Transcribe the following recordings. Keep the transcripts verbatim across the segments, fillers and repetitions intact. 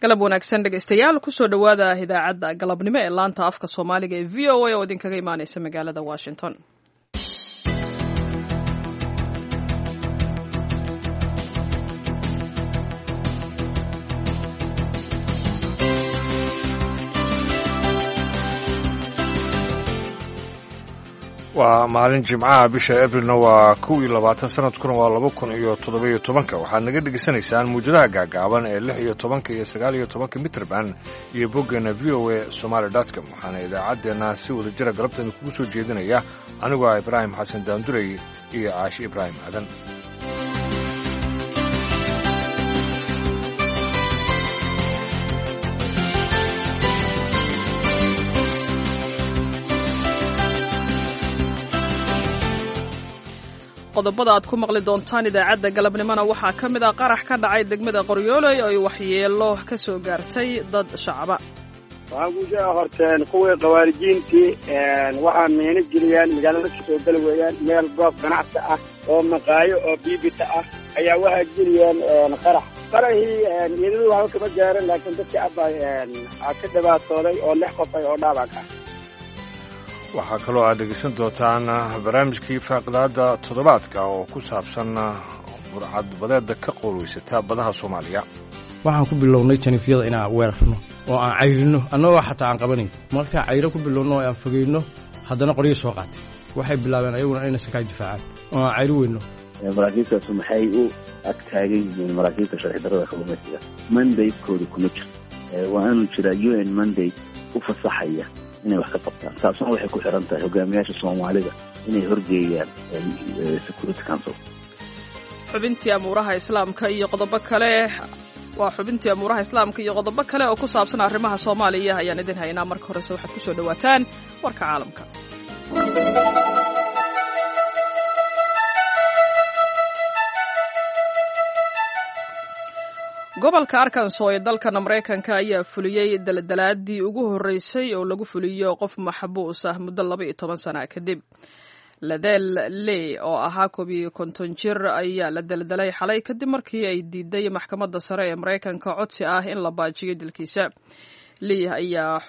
Galab wanaagsan, dhegeystayaal. Kusoo dhowaada idaacadda galabnimo ee laanta afka Soomaaliga ee V O A oo idinkaga imaaneysa magaalada Washington. Waa maalin Jimcaha, bisha Abrilna waa kow iyo labaatan, sanadkuna waa laba kun iyo toddoba iyo tobanka. Waxaad naga dhegaysanaysaan muwjadaha gaagaaban ee lix iyo tobanka iyo sagaal iyo tobanka mitrban iyo boggeena V O A Somaly com. Waxaana idaacaddeenna si wada jira galabteena kugu soo jeedinaya anigoo ah Ibraahim Xasan Daandurey iyo Caashi Ibraahim Aadan. Qodobada aad ku maqli doontaan idaacadda galabnimona waxaa ka mid ah qarax ka dhacay degmada Qoryooley oo ay waxyeelo ka soo gaartay dad shacaba. Waxaan kusoo horteen kuwii khawaarijiintii. Waxaa miino geliyaan magaalada, kasoo gala weeyaan meel goob ganacsi ah oo maqaayo oo biibita ah ayaa waxaa geliyeen qarax. Qaraxii iyadadu waxba kama gaaran, laakiin dadkii abba ka dhibaatooday oo lix qof ay oo dhaawac ah. Waxaa kaloo aad dhegeysan doontaan barnaamijkii faaqidaadda toddobaadka oo ku saabsan burcadbadeedda ka qowlweysata badaha Soomaaliya. Waxaan ku bilownay janifyada inaan weerarno oo aan cayrino, annagoo xataa aan qabanayn. Markaa cayro ku bilowno oo aan fogeyno, haddana qoryo soo qaatay. Waxay bilaabeen ayaguna inay sakaa difaacaan oo aan cayro weyno. Maraakiibtaasu maxay u ag taagan yihiin maraakiibta sharci darrada kalluumaysiga? Mandate-kooda kuma jirto. Waa inuu jiraa U N mandate u fasaxaya inay wax ka qabtaan. Taasuna waxay ku xiran tahay hogaamiyaasha Soomaalida inay horgeeyaan Security Council. Xubintii amuuraha Islaamka iyo qodobo kale, waa xubintii amuuraha Islaamka iyo qodobo kale oo ku saabsan arrimaha Soomaaliya ayaan idin haynaa. Marka horese waxaad kusoo dhowaataan warka caalamka. Gobolka Arkanso ee dalkan Maraykanka ayaa fuliyey daldalaadii ugu horreysay oo lagu fuliyo qof maxbuus ah muddo laba iyo toban sana kadib. Ledell Lee oo ahaa koob iyo konton jir ayaa la daldalay xalay kadib markii ay diiday maxkamadda sare ee Maraykanka codsi ah in la baajiyo dilkiisa. Lee ayaa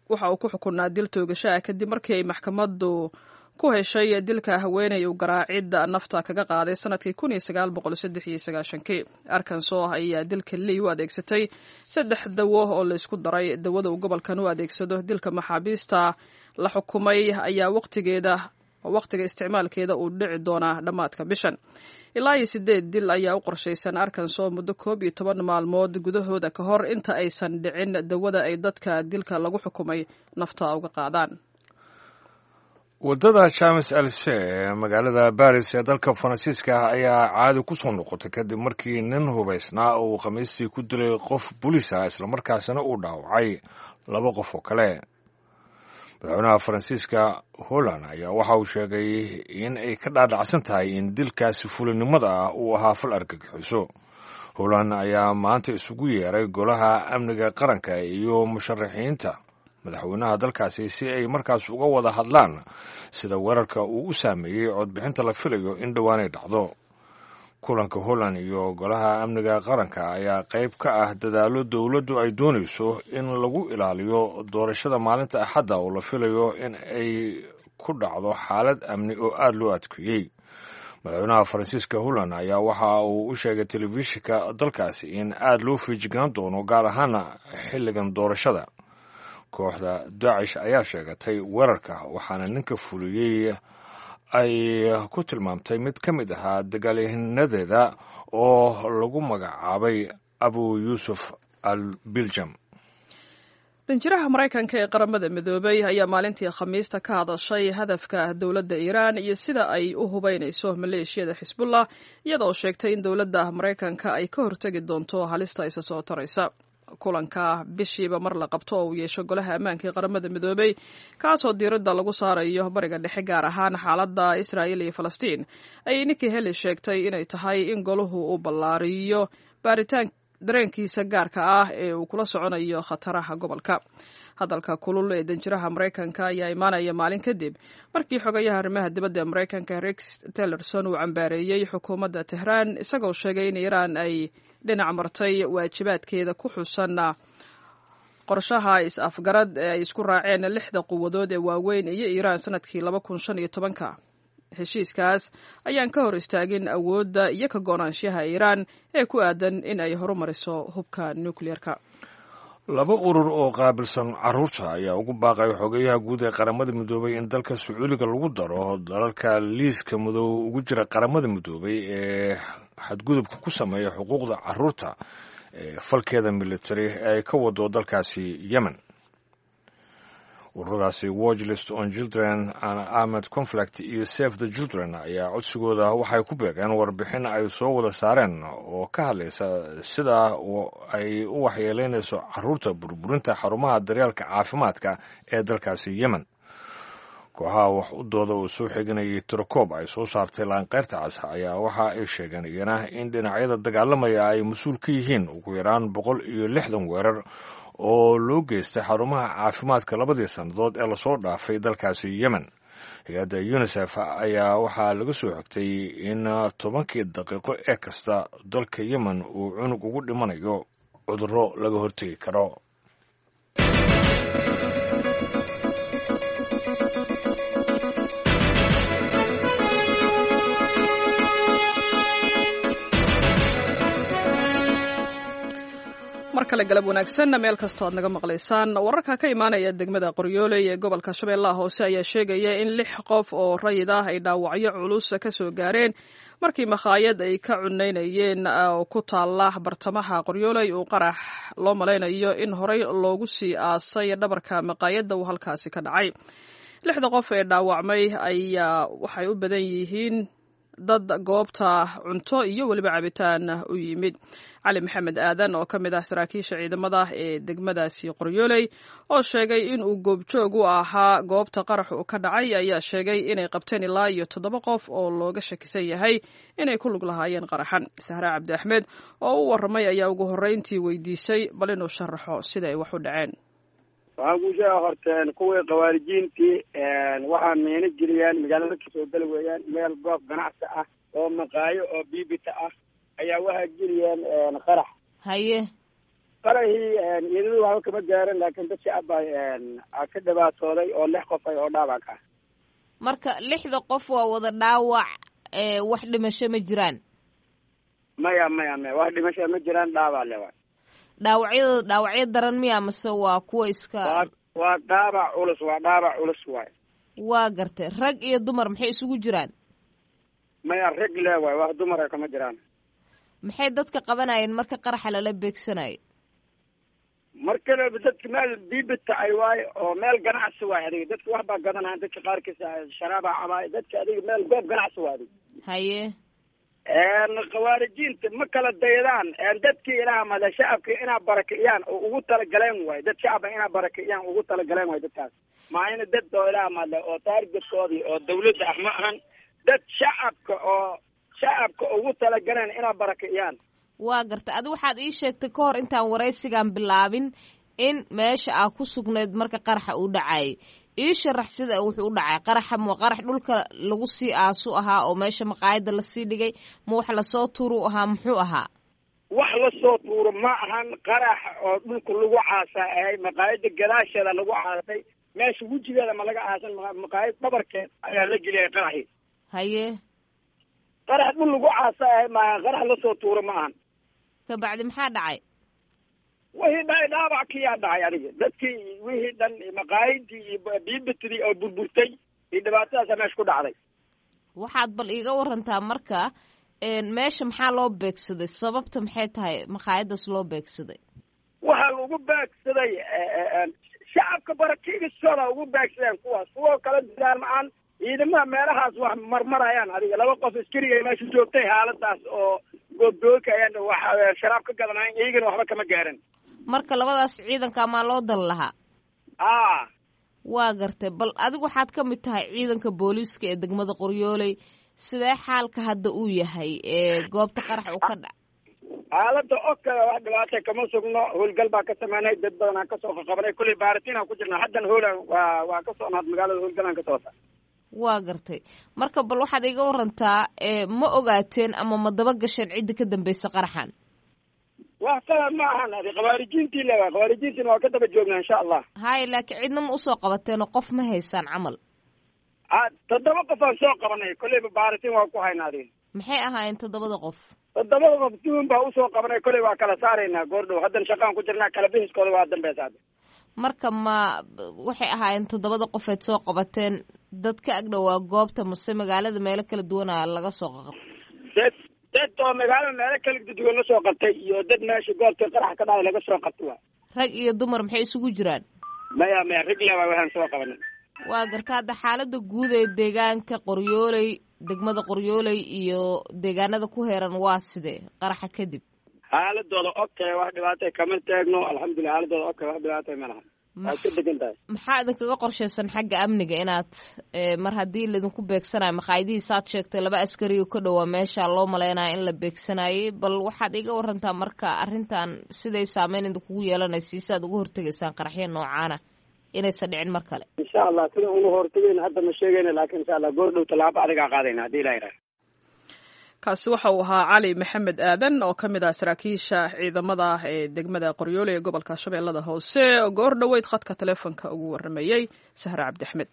waxa uu ku xukunaa dil toogasho ah kadib markii ay maxkamaddu ku heshay dilka haweeney uu garaacidda nafta kaga qaaday sanadkii kun iyo sagaal boqol saddex iyo sagaashankii. Arkanso ayaa dilka Lee u adeegsatay saddex dawo oo laysku daray. Dawada uu gobolkan u adeegsado dilka maxaabiista la xukumay ayaa waqtigeeda waqtiga isticmaalkeeda uu dhici doonaa dhammaadka bishan. Ilaa iyo sideed dil ayaa u qorshaysan Arkanso muddo koob iyo toban maalmood gudahooda ka hor inta aysan dhicin dawada ay dadka dilka lagu xukumay nafta uga qaadaan. Waddada Champs Elysees ee magaalada Baris ee dalka Faransiiska ah ayaa caadi ku soo noqotay kadib markii nin hubaysnaa uu Khamiistii ku dilay qof booliis ah, islamarkaasina uu dhaawacay laba qof oo kale. Madaxweynaha Faransiiska Hollande ayaa waxa uu sheegay in ay ka dhaadhacsan tahay in dilkaasi fulinimada ah uu ahaa fal argagixiso. Hollande ayaa maanta isugu yeeray golaha amniga qaranka iyo musharaxiinta madaxweynaha dalkaasi si ay markaas uga wada hadlaan sida weerarka uu u saameeyey codbixinta la filayo in dhowaanay dhacdo. Kulanka Holland iyo golaha amniga qaranka ayaa qayb ka ah dadaallo dowladdu ay doonayso in lagu ilaaliyo doorashada maalinta Axadda oo la filayo in ay ku dhacdo xaalad amni oo aada loo adkeeyey. Madaxweynaha Faransiiska Holland ayaa waxa uu u sheegay telefishinka dalkaasi in aada loo feejignaan doono, gaar ahaana xilligan doorashada. Kooxda Daacish ayaa sheegatay weerarka, waxaana ninka fuliyey ay ku tilmaamtay mid ka mid ahaa dagaalyahanadeeda oo lagu magacaabay Abu Yuusuf al Biljam. Danjiraha Maraykanka ee Qaramada Midoobay ayaa maalintii Khamiista ka hadashay hadafka dowladda Iiraan iyo sida ay u hubaynayso maleeshiyada Xisbullah, iyadoo sheegtay in dowladda Maraykanka ay ka hortegi doonto halista isa soo taraysa. Kulanka bishiiba mar la qabto oo uu yeesho golaha ammaanka ee Qaramada Midoobay, kaasoo diiradda lagu saarayo Bariga Dhexe, gaar ahaan xaaladda Israa'iil iyo Falastiin, ayay Nikki Haley sheegtay inay tahay in golahu uu ballaariyo baaritaan dareenkiisa gaarka ah ee uu kula soconayo khataraha gobolka. Hadalka kulul ee danjiraha Maraykanka ayaa imaanaya maalin kadib markii xogayaha arrimaha dibadda ee Maraykanka Rex Tillerson uu cambaareeyey xukuumadda Tehraan, isagoo sheegay in Iiraan ay dhinac martay waajibaadkeeda ku xusan qorshaha is-afgarad ee ay isku raaceen lixda quwadood ee waaweyn iyo Iiraan sanadkii laba kun shan iyo tobanka. Heshiiskaas ayaan ka hor istaagin awoodda iyo ka go-naanshaha Iiraan ee ku aadan in ay horumariso hubka nukliyeerka. Laba urur oo qaabilsan carruurta ayaa ugu baaqay xogeyaha guud ee Qaramada Midoobay in dalka Sacuudiga lagu daro dalalka liiska madow ugu jira Qaramada Midoobay ee xadgudubka ku sameeya xuquuqda carruurta ee falkeeda military ee ay ka wado dalkaasi Yemen. Ururadaasi Watchlist on Children and Armed Conflict iyo Save the Children ayaa codsigooda waxay ku beegeen warbixin ay soo wada saareen oo ka hadlaysa sida ay u waxyeeleynayso carruurta burburinta xarumaha daryeelka caafimaadka ee dalkaasi Yemen. Kooxaha wax u dooda oo soo xiganayay tirakoob ay soo saartay Laanqeyrta Cas ayaa waxa ay sheegeen iyana in dhinacyada dagaalamaya ay mas-uul ka yihiin ugu yaraan boqol iyo lixdan weerar oo loo geystay xarumaha caafimaadka labadii sannadood ee lasoo dhaafay dalkaasi Yemen. Hay-adda UNICEF ayaa waxaa laga soo xigtay in tobankii daqiiqo ee kasta dalka Yemen uu cunug ugu dhimanayo cudurro laga hortegi karo. Mar kale galab wanaagsan meel kastoo aad naga maqlaysaan. Wararka ka imaanaya degmada Qoryooley ee gobolka Shabeellaha Hoose ayaa sheegaya in lix qof oo rayid ah ay dhaawacyo culus ka soo gaareen markii makhaayad ay ka cunaynayeen oo ku taala bartamaha Qoryooley uu qarax loo malaynayo in horey loogu sii aasay dhabarka maqaayadda uu halkaasi ka dhacay. Lixda qof ee dhaawacmay ayaa waxay u badan yihiin dad goobta cunto iyo weliba cabitaan u yimid. Cali Maxamed Aadan oo ka mid ah saraakiisha ciidamada ee degmadaasi Qoryooley oo sheegay in uu goobjoog u ahaa goobta qarax uu ka dhacay ayaa sheegay inay qabteen ilaa iyo toddoba qof oo looga shakisan yahay inay ku lug lahaayeen qaraxan. Sahra Cabdi Axmed oo u warramay ayaa ugu horreyntii weydiisay bal inuu sharaxo sida ay wax u dhaceen. Waxaan kuu sheega horteen kuwii khawaarijiintii waxaa miino geliyaan magaalada kasoo geli weeyaan meel goob ganacsi ah oo maqaayo oo biibita ah ayaa waxaa geliyeen qarax. Haye. Qaraxii ciidamadu waxba kama gaarin, laakiin dad shacab baa ka dhibaatooday oo lix qof ay oo dhaawac ah. Marka lixda qof waa wada dhaawac, wax dhimasho ma jiraan? Maya, maya, maya, wax dhimasho ma jiraan, dhaawac le waay. Dhaawacyada dhaawacyo daran miya mase waa kuwa iska? Waa dhaawac culus, waa dhaawac culus waay. Waa gartay. Rag iyo dumar maxay isugu jiraan? Maya, rag le waay, wax dumara kama jiraan. Maxay dadka qabanayeen marka qaraxa lala beegsanayo? Markale dadka meel biibita ay waay oo meel ganacsi waay, adiga dadka wax baa gadanayan, dadka qaarkiisa sharaabaa cabaay, dadka adiga meel goob ganacsi waay adiga. Haye. Khawaarijiinta ma kala daydaan dadkii ilaah male shacabka inaa barakiciyaan oo ugu talagaleen waay, dad shacaba inaa barakiciyaan ugu talagaleen waay dadkaas. Maayna dad oo ilaah male oo taargetkoodii oo dawladda ah ma ahan, dad shacabka oo shacabka ugu talagaleen inaa barakiciyaan. Waa gartay. Adi waxaad ii sheegtay ka hor intaan waraysigan bilaabin in meesha aa ku sugnayd marka qaraxa uu dhacayay. Ii sharax sida wuxuu u dhacay qaraxa. Ma qarax dhulka lagu sii aasu ahaa oo meesha maqaayadda lasii dhigay, ma wax lasoo tuuru ahaa, muxuu ahaa? Wax lasoo tuuro ma ahan, qarax oo dhulka lagu caasaa ahay, maqaayadda gadaasheeda lagu caasay, meesha wejigeeda ma laga aasan, maqaayad dhabarkeed ayaa la geliyay qaraxii. Haye. Qarax dhul lagu caasa ahay maahan, qarax lasoo tuuro ma ahan. Kabacdi maxaa dhacay? Wixii dhacay dhaawac kiyaa dhacay adiga dadkii wixii dhan maqaayadii iyo biibitidii oo burburtay iyo dhibaatadaasa meesha ku dhacday. Waxaad bal iiga warantaa marka meesha maxaa loo beegsaday, sababta maxay tahay maqaayadaas loo beegsaday? Waxaa lagu beegsaday shacabka barakiigistooda ugu beegsadeen kuwaas, kuwo kala didaan ma-aan ciidamaha meelahaas wax marmarayaan adiga laba qof askariga meesha joogtay xaaladaas oo goobdoogka ayaan wax sharaab ka gadanayn, iyagana waxba kama gaarin. Marka labadaas ciidanka maa loo dan lahaa? A Waa gartay. Bal adigu waxaad ka mid tahay ciidanka booliiska ee degmada Qoryooley, sidee xaalka hadda uu yahay ee goobta qarax uu ka dhac? Xaaladda okay, wax dhibaata kama sugno. Howlgal baa ka sameynay, dad badan aan kasoo qaqabanay, kulley baaritiin aan ku jirnaa. Haddan howla waa waa ka socnaad magaalada, howlgal aan ka socota. Waa gartay. Marka bal waxaad iga warantaa, ma ogaateen ama ma daba gasheen cidda ka dambeysa qaraxan? Wax kale ma ahan, adi khawaarijiintii le waa khawaarijiintiina waa ka daba joognaa insha Allah. Haya, laakiin cidna ma usoo qabateenoo qof ma haysaan camal? Toddoba qof aan soo qabanay, kolleyba baaritiin waa ku haynaa adi. Maxay ahaayeen toddobada qof? Toddobada qof duun baa usoo qabanay, kolley waa kala saaraynaa goordhow. Haddan shaqaan ku jirnaa, kala bixiskooda waa dambeysa hadda. Marka ma waxay ahaayeen toddobada qofeed soo qabateen dad ka agdhowaa goobta mase magaalada meelo kala duwana laga soo qaqab? Dad dad oo magaalada meelo kala duwan la soo qabtay iyo dad meesha goobta qarax ka dhacay laga soo qabtay waa. Rag iyo dumar maxay isugu jiraan? Maya maya, rag le waa waxaan soo qabanay. Waa garta. Hadda xaalada guud ee deegaanka Qoryooley, degmada Qoryooley iyo deegaanada ku heeran waa sidee qaraxa kadib? Xaaladooda okay, wax dhibaatay kama taagno, alxamdulilah. Xaaladooda okay, wax dhibaatay ma laha, waa ka degan tahay. Maxaa idinkaga qorshaysan xagga amniga inaad mar haddii laydinku beegsanayo maqaayadihii saad sheegtay laba askari oo ka dhowaa meesha loo maleynayo in la beegsanayay, bal waxaad iga warantaa marka arrintan siday saameyn idinkugu yeelanaysa, si aad uga hortegaysaan qaraxyo noocaana inaysan dhicin mar kale? Insha Allah sida uga hortagayna hadda ma sheegayna, laakiin insha Allah goor dhow tallaabo adigaa qaadayna haddii ilaa yidhaah. Kaasi waxa uu ahaa Cali Maxamed Aadan oo ka mid ah saraakiisha ciidamada ee degmada Qoryoole ee gobolka Shabeellada Hoose, oo goor dhoweyd khadka taleefonka ugu warramayey Sahre Cabdi Axmed.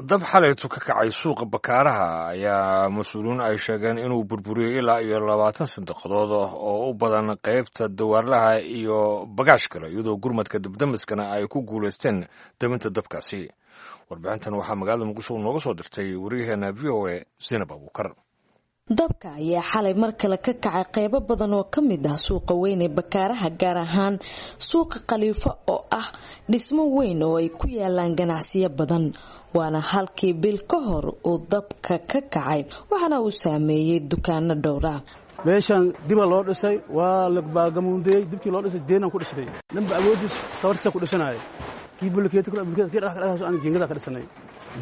Dab xalaytu ka kacay suuqa Bakaaraha ayaa mas-uuliyiin ay sheegeen inuu burburiyey ilaa iyo labaatan sanduuqadood oo u badan qaybta dawaarlaha iyo bagaash kale, iyadoo gurmadka dabdamiskana ay ku guulaysteen dabinta dabkaasi. Warbixintan waxaa magaalada Muqdisho nooga soo dirtay wariyaheena V O A Zainab Abuukar. Dabka ayaa xalay mar kale ka kacay qeybo badan oo ka mid ah suuqa weyn ee Bakaaraha, gaar ahaan suuqa Khaliifo oo ah dhismo weyn oo ay ku yaalaan ganacsiyo badan. Waana halkii bil ka hor uu dabka ka kacay, waxaana uu saameeyey dukaano dhowra. Meeshaan diba loo dhisay, waa la baagamuundeyey. Dibkii loo dhisay deenaan ku dhisnay, ninba awoodiis tabartiisa ku dhisanaya. Kii bulkeeti kii dhagax aan jiingada ka dhisnay,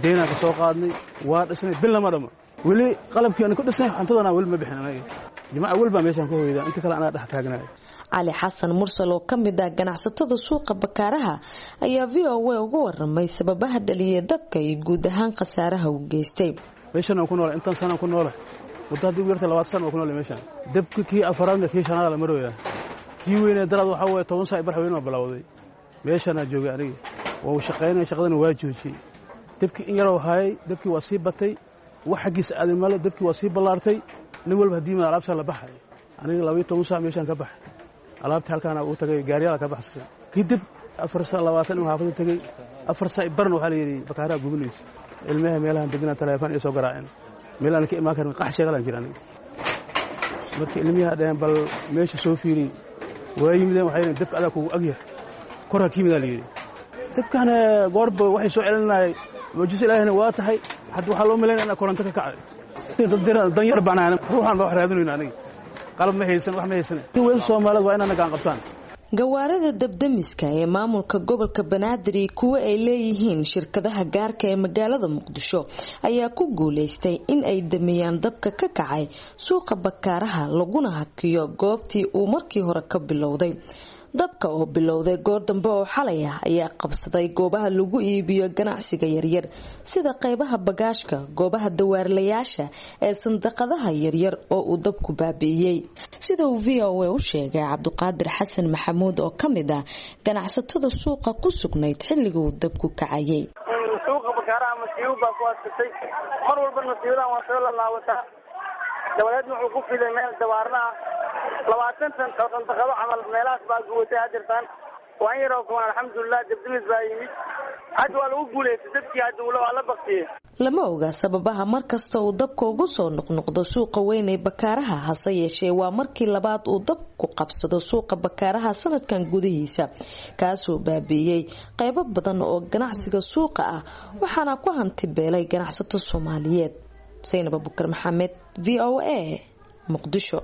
deenaan ka soo qaadnay, waa dhisnay bil lama dhamo. Weli qalabkii aan ku dhisnay cuntadana weli ma bixin anaga. Jimaaca weli baa meeshaan ku hoyda, inta kale anaa dhex taagnaay. Cali Xasan Mursal oo ka mid ah ganacsatada suuqa Bakaaraha ayaa V O A uga waramay sababaha dhaliyay dabka iyo guud ahaan khasaaraha uu geystay. Meeshaan aan ku noolay intaan sana ku noolay, muddo haddii ugu yartay labaatan sana oo ku noolay meeshaan. Dabka kii afaraadna kii shanaad la marooyaa. Kii weynee daraad waxaa weeye toban saac bar weyn oo bilowday. Meeshaan aan joogay aniga waa shaqaynay, shaqadana waa joojiyey. Dabkii in yaroo hayay, dabkii waa sii batay, wax xaggiisa aaday male, dabkii waa sii ballaartay. Nin walba haddii ma alaabta la baxay, aniga laba iyo toban saac meeshaan ka baxay, alaabta halkaan ugu tagay, gaariyaala ka baxsatay. Kadib afar saac labaatan inuu xaafadda tagay, afar saac barna waxaa la yidhi Bakaaraha gubinayso. Ilmaha meelahan deganaa taleefon iyo soo garaaceen, meel aan ka imaan karin qax sheegalaan jira aniga. Marka ilmiyaha dhaheen bal meesha soo fiiriyey, waa yimideen, waxay yidheen dabka adaa kugu agyahay, kor ha ka yimidaa la yidhi. Dabkana goorba waxay soo celinayay mucjiso ilaahina waa tahay. Hadda waxaa loo malaynaya inaa koronto ka kacday. Dad dan yar baan ahay, ruuxaan baa wax raadinayna aniga, qalab ma haysan, wax ma haysan. Weyn Soomaalida waa inaan gacan qabtaan. Gawaarida dabdamiska ee maamulka gobolka Banaadir iyo kuwa ay leeyihiin shirkadaha gaarka ee magaalada Muqdisho ayaa ku guuleystay in ay damiyaan dabka ka kacay suuqa Bakaaraha, laguna hakiyo goobtii uu markii hore ka bilowday. Dabka oo bilowday goor dambe oo xalay ah ayaa qabsaday goobaha lagu iibiyo ganacsiga yaryar sida qaybaha bagaashka, goobaha dawaarlayaasha ee sandaqadaha yaryar oo uu dabku baabi'iyey. Sida uu V O A u sheegay Cabdiqaadir Xasan Maxamuud oo ka mid ah ganacsatada suuqa ku sugnayd xilliga uu dabku kacayay. Suuqa Bakaaraha masiibo baa ku adkatay, mar walba masiibadan waa soo laalaabataa. Dabadeedna wuxuu ku fiday meel dawaarna ah, labaatan sandaqado camal meelahaas baa gubatay hadirtaan. Waa in yaroo kuwan alxamdulilah dabdamis baa yimid, hadda waa lagu guulaystay dabkii, hadda waa la baktiyey. Lama oga sababaha markasta uu dabka ugu soo noqnoqdo suuqa weyn ee Bakaaraha, hase yeeshee waa markii labaad uu dabku qabsado suuqa Bakaaraha sanadkan gudihiisa, kaasoo baabi'iyey qaybo badan oo ganacsiga suuqa ah, waxaana ku hanti beelay ganacsato Soomaaliyeed. Zainab Abubakar Maxamed, V O A, Muqdisho.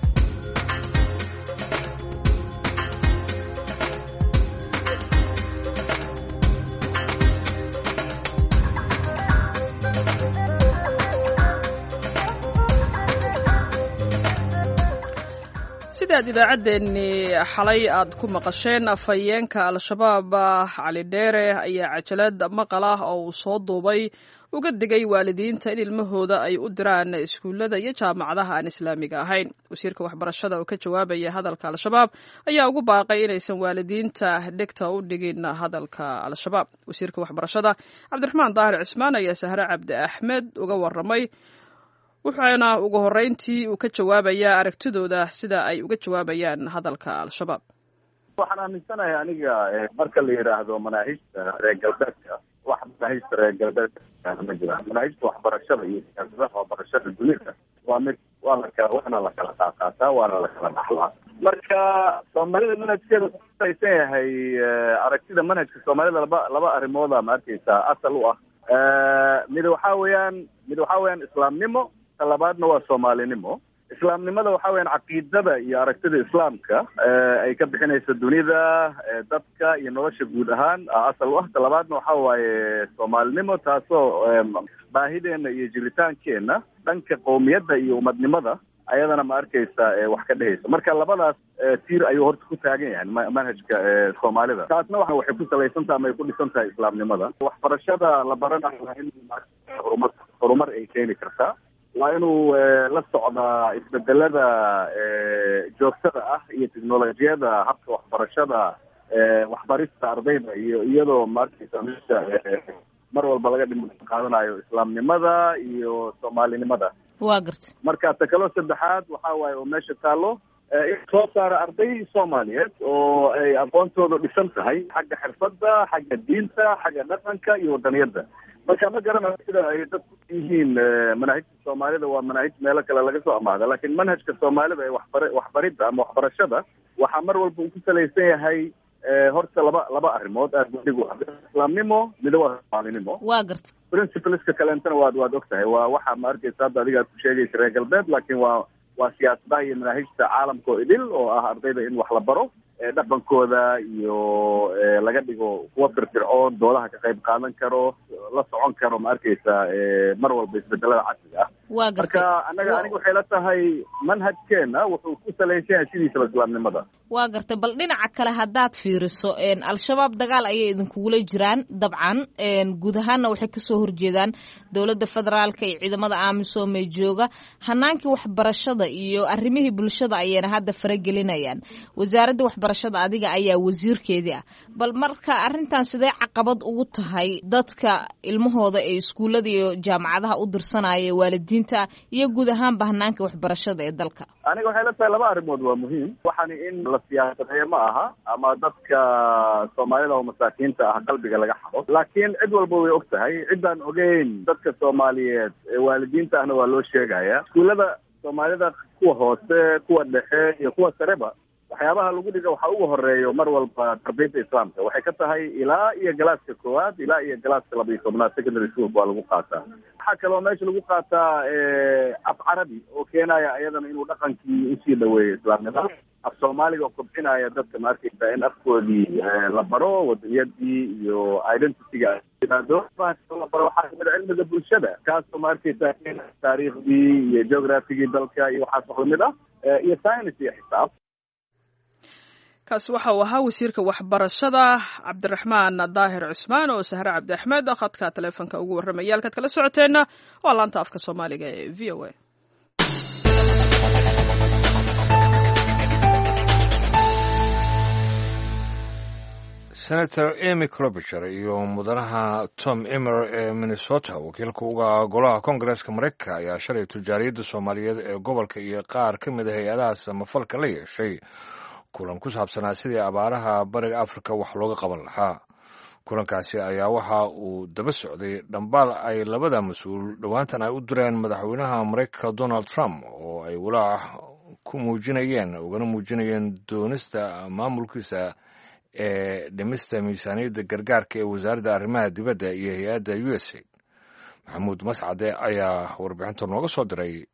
Sidaad idaacaddeenni xalay aad ku maqasheen, afhayeenka Al-Shabaab Cali Dheere ayaa cajalad maqal ah oo uu soo duubay uga digay waalidiinta in ilmahooda ay u diraan iskuullada iyo jaamacadaha aan islaamiga ahayn. Wasiirka waxbarashada oo ka jawaabaya hadalka Al-Shabaab ayaa ugu baaqay inaysan waalidiinta dhegta u dhigin hadalka Al-Shabaab. Wasiirka waxbarashada Cabdiraxmaan Daahir Cismaan ayaa Sahre Cabdi Axmed uga waramay, wuxuuna ugu horreyntii uu ka jawaabayaa aragtidooda sida ay uga jawaabayaan hadalka Al-Shabaab. Waxaan aaminsanahay aniga, marka la yidhaahdo manaahijta reer galbeedka, wax manaahijta reer galbeedka ma jiraan. Manaahijta waxbarashada iyo siyaasadaha waxbarashada dunida waa mid waa lakala waana la kala qaaqaataa, waana la kala dhaxlaa. Marka soomaalida manhajkeeda kusalaysan yahay, aragtida manhajka soomaalida laba laba arrimooda ma arkeysaa asal u ah. Mid waxaa weeyaan mid waxaa weeyaan islaamnimo, ta labaadna waa soomaalinimo. Islaamnimada waxaa weyaan caqiidada iyo aragtida islaamka ay ka bixinayso dunida, dadka iyo nolosha guud ahaan asal u ah. Ta labaadna waxa waaye soomaalinimo, taasoo baahideena iyo jiritaankeenna dhanka qowmiyadda iyo umadnimada ayadana ma arkaysa wax ka dhehaysa. Marka labadaas tiir ayuu horta ku taagan yahay manhajka soomaalida. Taasna wa waxay ku salaysan tahay ama ay ku dhisan tahay islaamnimada. Waxbarashada la baranayo waa in horumar horumar ay keeni kartaa, waa inuu la socdaa isbedelada joogtada ah iyo teknolojiyada habka waxbarashada, waxbarista ardayda, iyo iyadoo ma arkaysa meesha mar walba laga dhim qaadanayo islaamnimada iyo soomaalinimada. Waa garta. Marka ta kaloo saddexaad waxaa waaye oo meesha taallo in soo saara arday soomaaliyeed oo ay aqoontooda dhisan tahay xagga xirfadda, xagga diinta, xagga dhaqanka iyo wadaniyadda. Marka ma garanayo sida ay dadku yihiin manaahijta soomaalida waa manaahij meelo kale laga soo amaada, laakiin manhajka soomaalida ee waxbar waxbaridda ama waxbarashada waxaa mar walba uu ku salaysan yahay horta laba laba arrimood aad gudig u ah: islaamnimo, mida waa soomaalinimo. Waa garta. Principleska kaleentana waad waad og tahay, waa waxa ma arkaysa hadda adiga aad ku sheegaysa reer galbeed, laakiin waa waa siyaasadaha iyo manaahijta caalamka oo idil oo ah ardayda in wax la baro, dhaqankooda iyo laga dhigo kuwa firfircoon, doodaha ka qayb qaadan karo, la socon karo ma arkaysa mar walba isbedelada casriga ah. Waa gartay. Marka anaga aniga waxay la tahay manhajkeena wuxuu ku salaysan yahay sidiisaba islaamnimada. Waa gartay. Bal dhinaca kale haddaad fiiriso, Al-Shabaab dagaal ayay idinkugula jiraan dabcan, guud ahaanna waxay kasoo horjeedaan dowladda federaalka iyo ciidamada AMISOM ee jooga. Hanaankii waxbarashada iyo arrimihii bulshada ayayna hadda faragelinayaan. Wasaaradda waxbarashada adiga ayaa wasiirkeedii ah, bal marka arrintan sidee caqabad ugu tahay dadka ilmahooda ee iskuullada iyo jaamacadaha u dirsanaya, waalidiinta iyo guud ahaanba hanaanka waxbarashada ee dalka? Aniga waxay la tahay laba arrimood waa muhiim. Waxaani in la siyaasadeeyo ma aha ama dadka soomaalida oo masaakiinta ah qalbiga laga xado, laakiin cid walba way og tahay. Ciddaan ogeyn dadka soomaaliyeed ee waalidiinta ahna waa loo sheegaya. Iskuullada soomaalida kuwa hoose, kuwa dhexe iyo kuwa sareba, waxyaabaha lagu dhiga waxaa ugu horeeyo mar walba tarbiyadda islaamka. Waxay ka tahay ilaa iyo galaaska koowaad ilaa iyo galaaska laba iyo tobnaad secondary school waa lagu qaataa. Waxaa kaloo meesha lagu qaataa af carabi oo keenaya iyadana inuu dhaqankii usii dhaweeyo islaamnimada, af soomaaliga oo kobcinaya dadka ma arkaysa in afkoodii la baro, wadaniyadii iyo identityga yimaado. La baro waxaa kamid a cilmiga bulshada, kaasoo ma arkaysa taariikhdii iyo geographigii dalka iyo waxaas wax lamid ah, iyo science iyo xisaab. Kaasi waxa uu ahaa wasiirka waxbarashada Cabdiraxmaan Daahir Cusmaan oo Sahre Cabdi Axmed khadka taleefonka ugu warramaya. Halkaad kala socoteenna waa laanta afka Soomaaliga ee V O A. Senator Amy Klobuchar iyo mudanaha Tom Emmer ee Minnesota, wakiilka uga golaha koongareeska Mareykanka, ayaa shalay tujaariyadda Soomaaliyeed ee gobolka iyo qaar ka mid a hay-adaha samafalka la yeeshay kulan ku saabsanaa sidii abaaraha bariga Afrika wax looga qaban lahaa. Kulankaasi ayaa waxa uu daba socday dhambaal ay labada mas-uul dhowaantan ay u direen madaxweynaha Mareykanka Donald Trump oo ay walaac ku muujinayeen ugana muujinayeen doonista maamulkiisa ee dhimista miisaaniyadda gargaarka ee wasaaradda arrimaha dibadda iyo hay-adda U S A. Maxamuud Mascade ayaa warbixinta nooga soo diray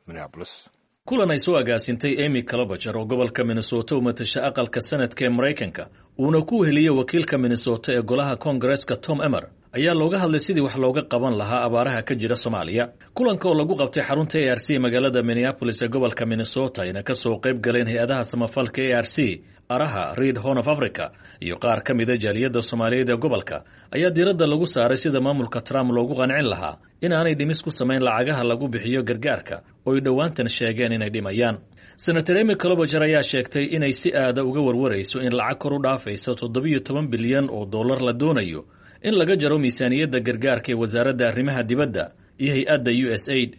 Minneapolis. Kulan ay soo agaasintay Amy Klobuchar oo gobolka Minnesota u matasha aqalka sanadka ee Maraykanka, uuna ku weheliyey wakiilka Minnesota ee golaha koongareeska Tom Emmer, ayaa looga hadlay sidii wax looga qaban lahaa abaaraha ka jira Soomaaliya. Kulanka oo lagu qabtay xarunta A R C magaalada Minneapolis ee gobolka Minnesota ayna ka soo qayb galeen hay-adaha samafalka A R C, Araha, Read Horn of Africa iyo qaar ka mida jaaliyadda Soomaaliyeed ee gobolka ayaa diiradda lagu saaray sida maamulka Trump loogu qancin lahaa in aanay dhimis ku samayn lacagaha lagu bixiyo gargaarka oo ay dhowaantan sheegeen inay dhimayaan. Senator Amy Klobuchar ayaa sheegtay inay si aada uga warwarayso in lacag kor u dhaafaysa toddobiyo toban bilyan oo dollar la doonayo in laga jaro miisaaniyadda gargaarka ee wasaaradda arrimaha dibadda iyo hay-adda U S Aid.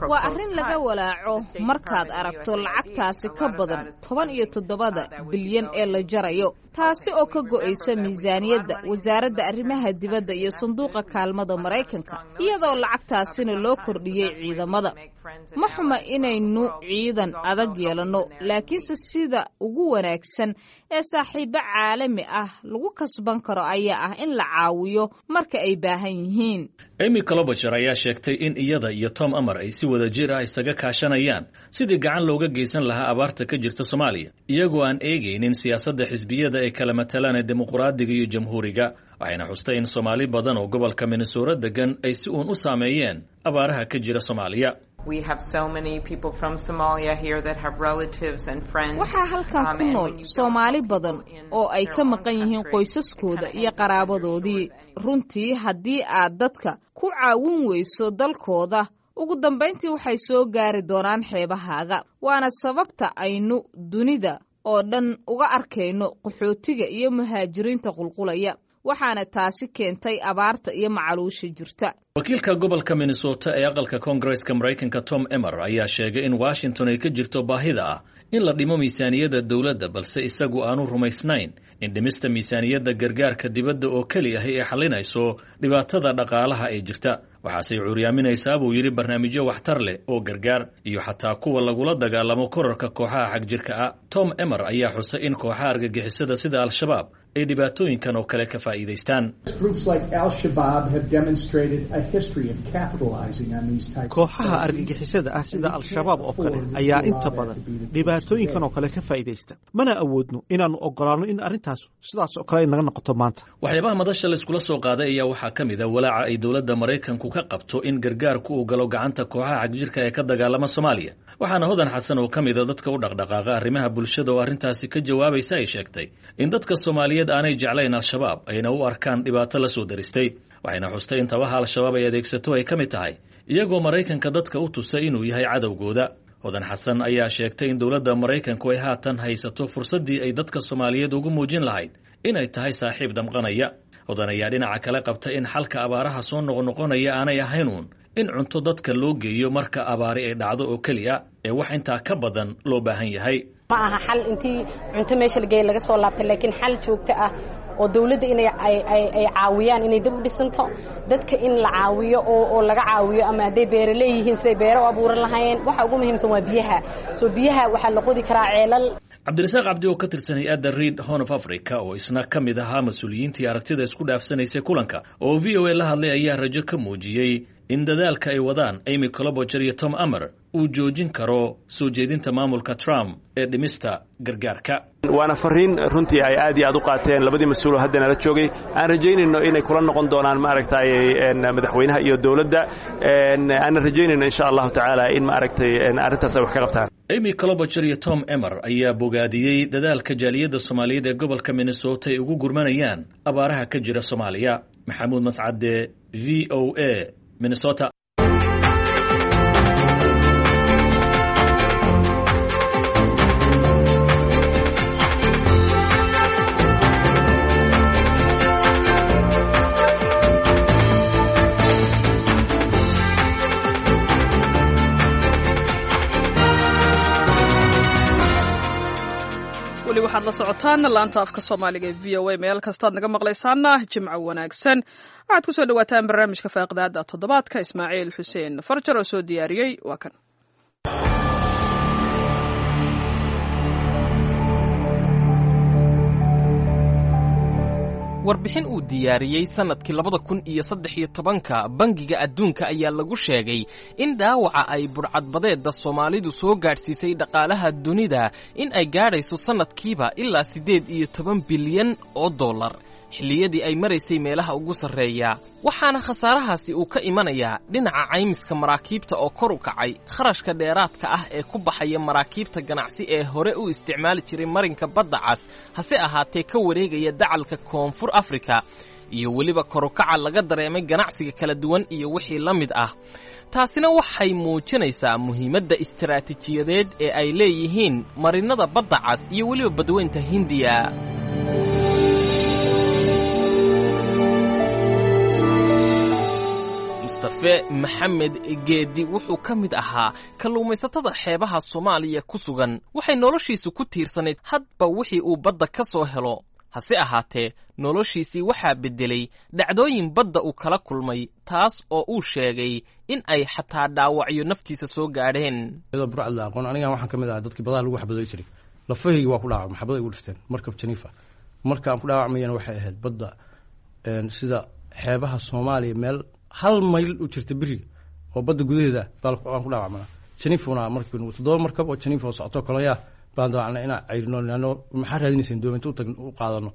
Waa arrin laga walaaco markaad aragto lacagtaasi ka badan toban iyo toddobada bilyan ee la jarayo, taasi oo ka go'aysa miisaaniyadda wasaaradda arrimaha dibadda iyo sanduuqa kaalmada Maraykanka, iyadoo lacagtaasina loo kordhiyey ciidamada. Ma xuma inaynu ciidan adag yeelanno, laakiinse sida ugu wanaagsan ee saaxiibo caalami ah lagu kasban karo ayaa ah in la caawiyo marka ay baahan yihiin. Amy Klobuchar ayaa sheegtay in iyada iyo Tom Emmer ay si wada jir ah isaga kaashanayaan sidii gacan looga geysan lahaa abaarta ka jirta Soomaaliya, iyagoo aan eegaynin siyaasadda xisbiyada ee kala matalaan ee dimuqraadiga iyo jamhuuriga. Waxayna xustay in Soomaali badan oo gobolka Minnesota degan ay si uun u saameeyeen abaaraha ka jira Soomaaliya. Waxaa halkan ku nool Soomaali badan oo ay ka maqan yihiin qoysaskooda iyo qaraabadoodii. Runtii haddii aad dadka ku caawin weyso dalkooda, ugu dambayntii waxay soo gaari doonaan xeebahaaga. Waana sababta aynu dunida oo dhan uga arkayno qaxootiga iyo muhaajiriinta qulqulaya, waxaana taasi keentay abaarta iyo macaluusha jirta. Wakiilka gobolka Minnesota ee aqalka Koongareeska Maraykanka Tom Emmer ayaa sheegay in Washington ay ka jirto baahida ah in la dhimo miisaaniyadda dowladda, balse isagu aanu rumaysnayn in dhimista miisaaniyadda gargaarka dibadda oo keli ahi ay xalinayso dhibaatada dhaqaalaha ee jirta. Waxaasey cuuryaaminaysaa buu yidhi barnaamijyo waxtar leh oo gargaar iyo xataa kuwa lagula dagaalamo korarka kooxaha xagjirka ah. Tom Emmer ayaa xusay in kooxaha argagixisada sida Al-Shabaab ay dhibaatooyinkan oo kale ka faa'iidaystaan. Kooxaha argagixisada ah sida Al-Shabaab oo kale ayaa inta badan dhibaatooyinkan oo kale ka faa'iidaysta, mana awoodno inaannu ogolaanno in arrintaas sidaas oo kale ay naga noqoto maanta. Waxyaabaha madasha la iskula soo qaaday ayaa waxaa ka mid ah walaaca ay dowladda Maraykanku ka qabto in gargaarku uu galo gacanta kooxaha xagjirka ee ka dagaalama Soomaaliya. Waxaana Hodan Xasan oo ka mid a dadka u dhaqdhaqaaqa arrimaha bulshada oo arrintaasi ka jawaabaysa ay sheegtay in dadka Soomaaliyeed aanay jeclayn Al-Shabaab ayna u arkaan dhibaato la soo daristay. Waxayna xustay in tabaha Al-Shabaab ay adeegsato ay ka mid tahay iyagoo Maraykanka dadka u tusay inuu yahay cadowgooda. Hodan Xasan ayaa sheegtay in dowladda Maraykanku ay haatan haysato fursaddii ay dadka Soomaaliyeed ugu muujin lahayd inay tahay saaxiib damqanaya. Hodan ayaa dhinaca kale qabta in xalka abaaraha soo noqnoqonaya aanay ahaynuun in cunto dadka loo geeyo marka abaari ay dhacdo oo keliya ee wax intaa ka badan loo baahan yahay. Ma aha xal intii cunto meesha la geeyay laga soo laabtay, laakiin xal joogto ah oo dawladda inay ay ay caawiyaan inay dib u dhisanto, dadka in la caawiyo oo oo laga caawiyo ama hadday beero leeyihiin siday beero u abuuran lahaayeen. Waxa ugu muhiimsan waa biyaha. Soo biyaha waxaa la qodi karaa ceelal. Cabdirasaaq Cabdi oo ka tirsan hay-adda Read Horn of Africa oo isna ka mid ahaa mas-uuliyiintii aragtida isku dhaafsanaysay kulanka oo V O A la hadlay ayaa rajo ka muujiyey in dadaalka ay wadaan Amy Klobuchar iyo Tom Emmer uu joojin karo soo jeedinta maamulka Trump ee dhimista gargaarka. Waana fariin runtii ay aad iyo aad u qaateen labadii mas-uul oo hadda nala joogay. Aan rajaynayno inay kula noqon doonaan maaragtay madaxweynaha iyo dowladda, aanan rajaynayno insha allahu tacaala in maaragtay arrintaas ay wax ka qabtaan. Amy Klobuchar iyo Tom Emmer ayaa bogaadiyey dadaalka jaaliyadda Soomaaliyeed ee gobolka Minnesota ay ugu gurmanayaan abaaraha ka jira Soomaaliya. Maxamuud Mascade, V O A, Minnesota. Weli waxaad la socotaan laanta afka Soomaaliga ee V O A. Meel kastaad naga maqlaysaana jimco wanaagsan. Waxaad ku soo dhawaataan barnaamijka faaqidaada toddobaadka. Ismaaciil Xuseen Farjar oo soo diyaariyey waa kan. Warbixin uu diyaariyey sannadkii labada kun iyo saddex iyo tobanka Bangiga Adduunka ayaa lagu sheegay in dhaawaca ay budhcadbadeedda Soomaalidu soo gaadhsiisay dhaqaalaha dunida in ay gaadhayso sannadkiiba ilaa siddeed iyo toban bilyan oo dollar xilliyadii ay maraysay meelaha ugu sarreeya. Waxaana khasaarahaasi uu ka imanayaa dhinaca caymiska maraakiibta oo kor u kacay, kharashka dheeraadka ah ee ku baxaya maraakiibta ganacsi ee hore u isticmaali jiray marinka Badda Cas, hase ahaatee ka wareegaya dacalka Koonfur Afrika, iyo weliba korukaca laga dareemay ganacsiga kala duwan iyo wixii la mid ah. Taasina waxay muujinaysaa muhiimadda istaraatiijiyadeed ee ay leeyihiin marinnada Badda Cas iyo weliba Badweynta Hindiya. Mustafe Maxamed Geedi wuxuu ka mid ahaa kalluumaysatada xeebaha Soomaaliya ku sugan. Waxay noloshiisu ku tiirsanayd hadba wixii uu badda ka soo helo, hase ahaatee noloshiisii waxaa beddelay dhacdooyin badda uu kala kulmay, taas oo uu sheegay in ay xataa dhaawacyo naftiisa soo gaadheen. Iyadoo burcad la aqoon, anigan waxaan ka mid ahaa dadkii badaha lagu xabadoy jiray. Lafahaygi waa ku dhaawacmay, xabada igu dhifteen markab Janifa. Marka aan ku dhaawacmayana waxay ahayd badda sida xeebaha Soomaaliya meel hal mayl u jirta beriga oo badda gudaheeda baan ku dhaawacmanaa. Janifuna markii toddoba markab oo Janifa oo socoto koloyaa baan daawacnay inaan cayrino, ano maxaa raadinayseen doominta u tagno u qaadano,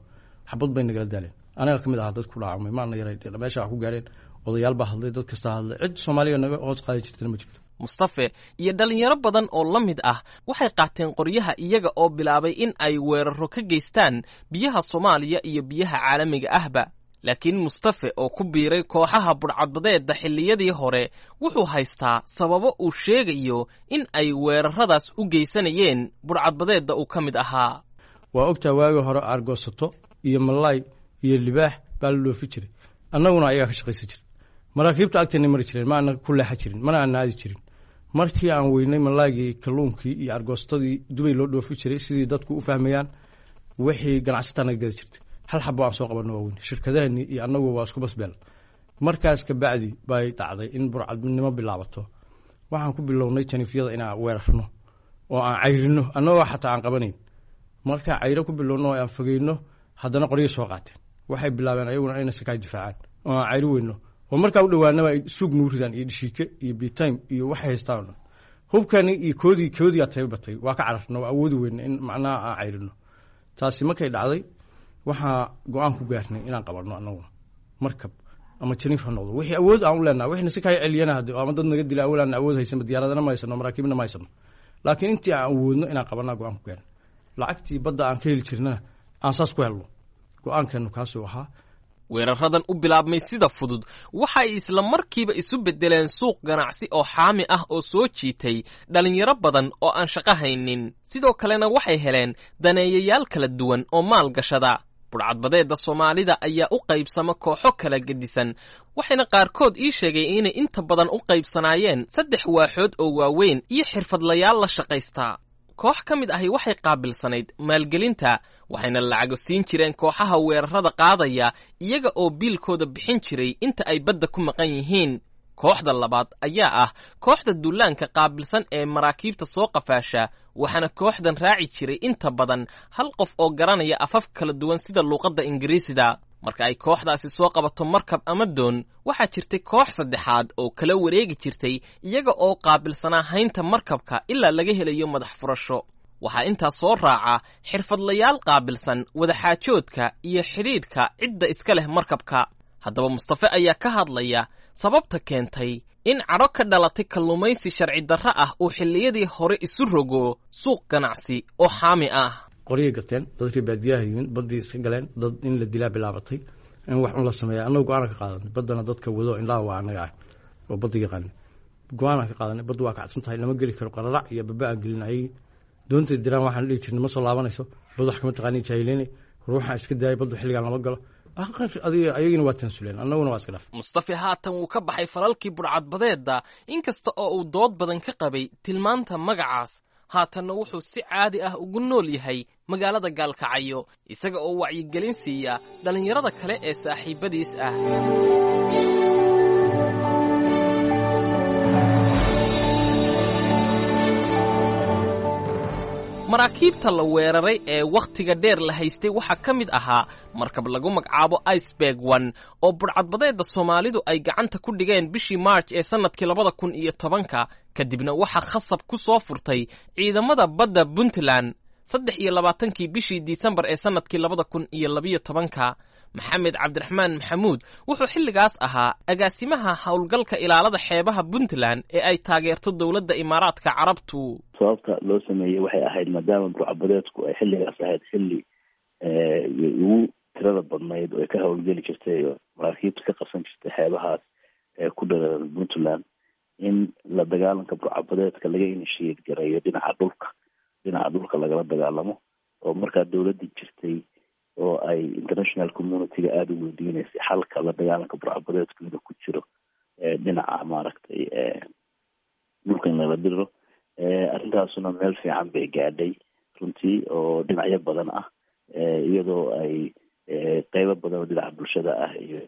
xabad bay nagala daaleen. Anaga ka mid ahaa dad ku dhaawacmay, maana yaray meesha wax ku gaareen. Odayaal baa hadlay, dad kasta hadlay, cid Soomaaliya naga hoos qaadi jirtana ma jirto. Mustafe iyo dhallinyaro badan oo la mid ah waxay qaateen qoryaha iyaga oo bilaabay in ay weeraro ka geystaan biyaha Soomaaliya iyo biyaha caalamiga ahba. Laakiin Mustafe oo ku biiray kooxaha budhcadbadeedda xilliyadii hore wuxuu haystaa sababo uu sheegayo in ay weeraradaas u geysanayeen budhcadbadeedda uu ka mid ahaa. Waa ogtaa, waagii hore aargoosato iyo malaay iyo libaax baa la dhoofi jiray, annaguna ayagaa ka shaqaysan jiray. Maraakiibta agteenay mari jireen, ma ana ku leexa jirin, mana aan aadi jirin. Markii aan weynay malaaygii, kalluunkii iyo argoostadii Dubay loo dhoofi jiray, sidii dadku u fahmayaan, wixii ganacsataa naga gada jirtay hal xabo aan soo qabanno waa weyn. Shirkadahani iyo annagu waa isku basbeel. Markaas ka bacdi bay dhacday in burcadnimo bilaabato. Waxaan ku bilownay janifyada inaan weerarno oo aan cayrino, annagoo xataa aan qabanayn. Markaa cayro ku bilowno oo aan fogeyno, haddana qoryo soo qaateen. Waxay bilaabeen ayaguna inay sakaay difaacaan oo aan cayri weyno, oo markaa u dhowaanaba ay suug nugu ridaan iyo dhishiike iyo bitime iyo waxay haystaan o dhan hubkani iyo koodii koodii aa tababatay. Waa ka cararno, waa awoodi weyna in macnaha aan cayrino. Taasi markay dhacday waxaa go-aan ku gaarnay inaan qabanno annaguna markab ama janiif ha noqdo, wixii awood aan u leenahay, wixina si kaa celiyana hadde ama dad naga dila awood aan awood haysanba, diyaaradana ma haysano, maraakiibna ma haysano, laakiin intii aan awoodno inaan qabanaa go-aan ku gaarnay. Lacagtii badda aan ka heli jirnana aan saas ku helno, go-aankeenu kaasuu ahaa. Weeraradan u bilaabmay sida fudud waxa ay isla markiiba isu beddeleen suuq ganacsi oo xaami ah oo soo jiitay dhallinyaro badan oo aan shaqo haynin. Sidoo kalena waxay heleen daneeyayaal kala duwan oo maalgashada. Budhcadbadeedda Soomaalida ayaa u qaybsama kooxo kala gedisan, waxayna qaarkood ii sheegay inay inta badan u qaybsanaayeen saddex waaxood oo waaweyn iyo xirfadlayaal la shaqaystaa. Koox ka mid ahi waxay qaabilsanayd maalgelinta, waxayna lacago siin jireen kooxaha weerarada qaadaya, iyaga oo biilkooda bixin jiray inta ay badda ku maqan yihiin. Kooxda labaad ayaa ah kooxda dullaanka qaabilsan ee maraakiibta soo qafaasha, waxaana kooxdan raaci jiray inta badan hal qof oo garanaya afaf kala duwan sida luuqadda Ingiriisida. Marka ay kooxdaasi soo qabato markab ama doon, waxaa jirtay koox saddexaad oo kala wareegi jirtay, iyaga oo qaabilsanaa haynta markabka ilaa laga helayo madax furasho. Waxaa intaas soo raaca xirfadlayaal qaabilsan wadaxaajoodka iyo xidhiidhka cidda iska leh markabka. Haddaba Mustafe ayaa ka hadlaya sababta keentay in cadho ka dhalatay kalluumaysi sharci darro ah uu xilliyadii hore isu rogo suuq ganacsi oo xaami ah. Qoryay gateen dadkii baadiyaha yimin, baddii iska galeen, dad in la dilaa bilaabatay, in wax un la sameeya. Annagu go-aanan ka qaadanay, baddana dadka wado indhaha waa annaga ah oo badda yaqaana. Go-aanan ka qaadanay, baddu waa kacsan tahay, lama geli karo. Qararac iyo baba aan gelin ayagii doontay diraan, waxaan dhihi jirnay ma soo laabanayso, bad wax kama taqaani, jaahileynay ruuxaan iska daayay, baddu xilligaan lama galo. Ayagina waa tansuleen, annaguna waa iska dhaf. Mustafe haatan wuu ka baxay falalkii budhcadbadeedda, inkasta oo uu dood badan ka qabay tilmaanta magacaas. Haatanna wuxuu si caadi ah ugu nool yahay magaalada Gaalkacyo, isaga oo wacyigelin siiya dhallinyarada kale ee saaxiibbadiis ah. Maraakiibta la weeraray ee wakhtiga dheer la haystay waxaa ka mid ahaa markab lagu magacaabo Iceberg One oo budhcadbadeedda Soomaalidu ay gacanta ku dhigeen bishii March ee sannadkii labada kun iyo tobanka, kadibna waxaa khasab ku soo furtay ciidamada badda Puntland saddex iyo labaatankii bishii Disembar ee sannadkii labada kun iyo labiyo tobanka. Maxamed Cabdiraxmaan Maxamuud wuxuu xilligaas ahaa agaasimaha howlgalka ilaalada xeebaha Puntland ee ay taageerto dowladda Imaaraadka Carabtu. Sababta loo sameeyey waxay ahayd maadaama burcabadeedku ay xilligaas ahayd xilli ugu tirada badnayd oo ay ka howlgeli jirtay oo maraakiibta ka qabsan jirtay xeebahaas ee ku dhareeran Puntland, in la dagaalanka burcabadeedka laga inishiyeed gareeyo dhinaca dhulka, dhinaca dhulka lagala dagaalamo, oo markaa dowladda jirtay oo ay international community-ga aada u weydiineysay xalka la dagaalanka burcabadeedku inuu ku jiro dhinaca maaragtay dhulka in lala diro. Arrintaasuna meel fiican bay gaadhay runtii oo dhinacyo badan ah, iyadoo ay qeybo badan oo dhinaca bulshada ah iyo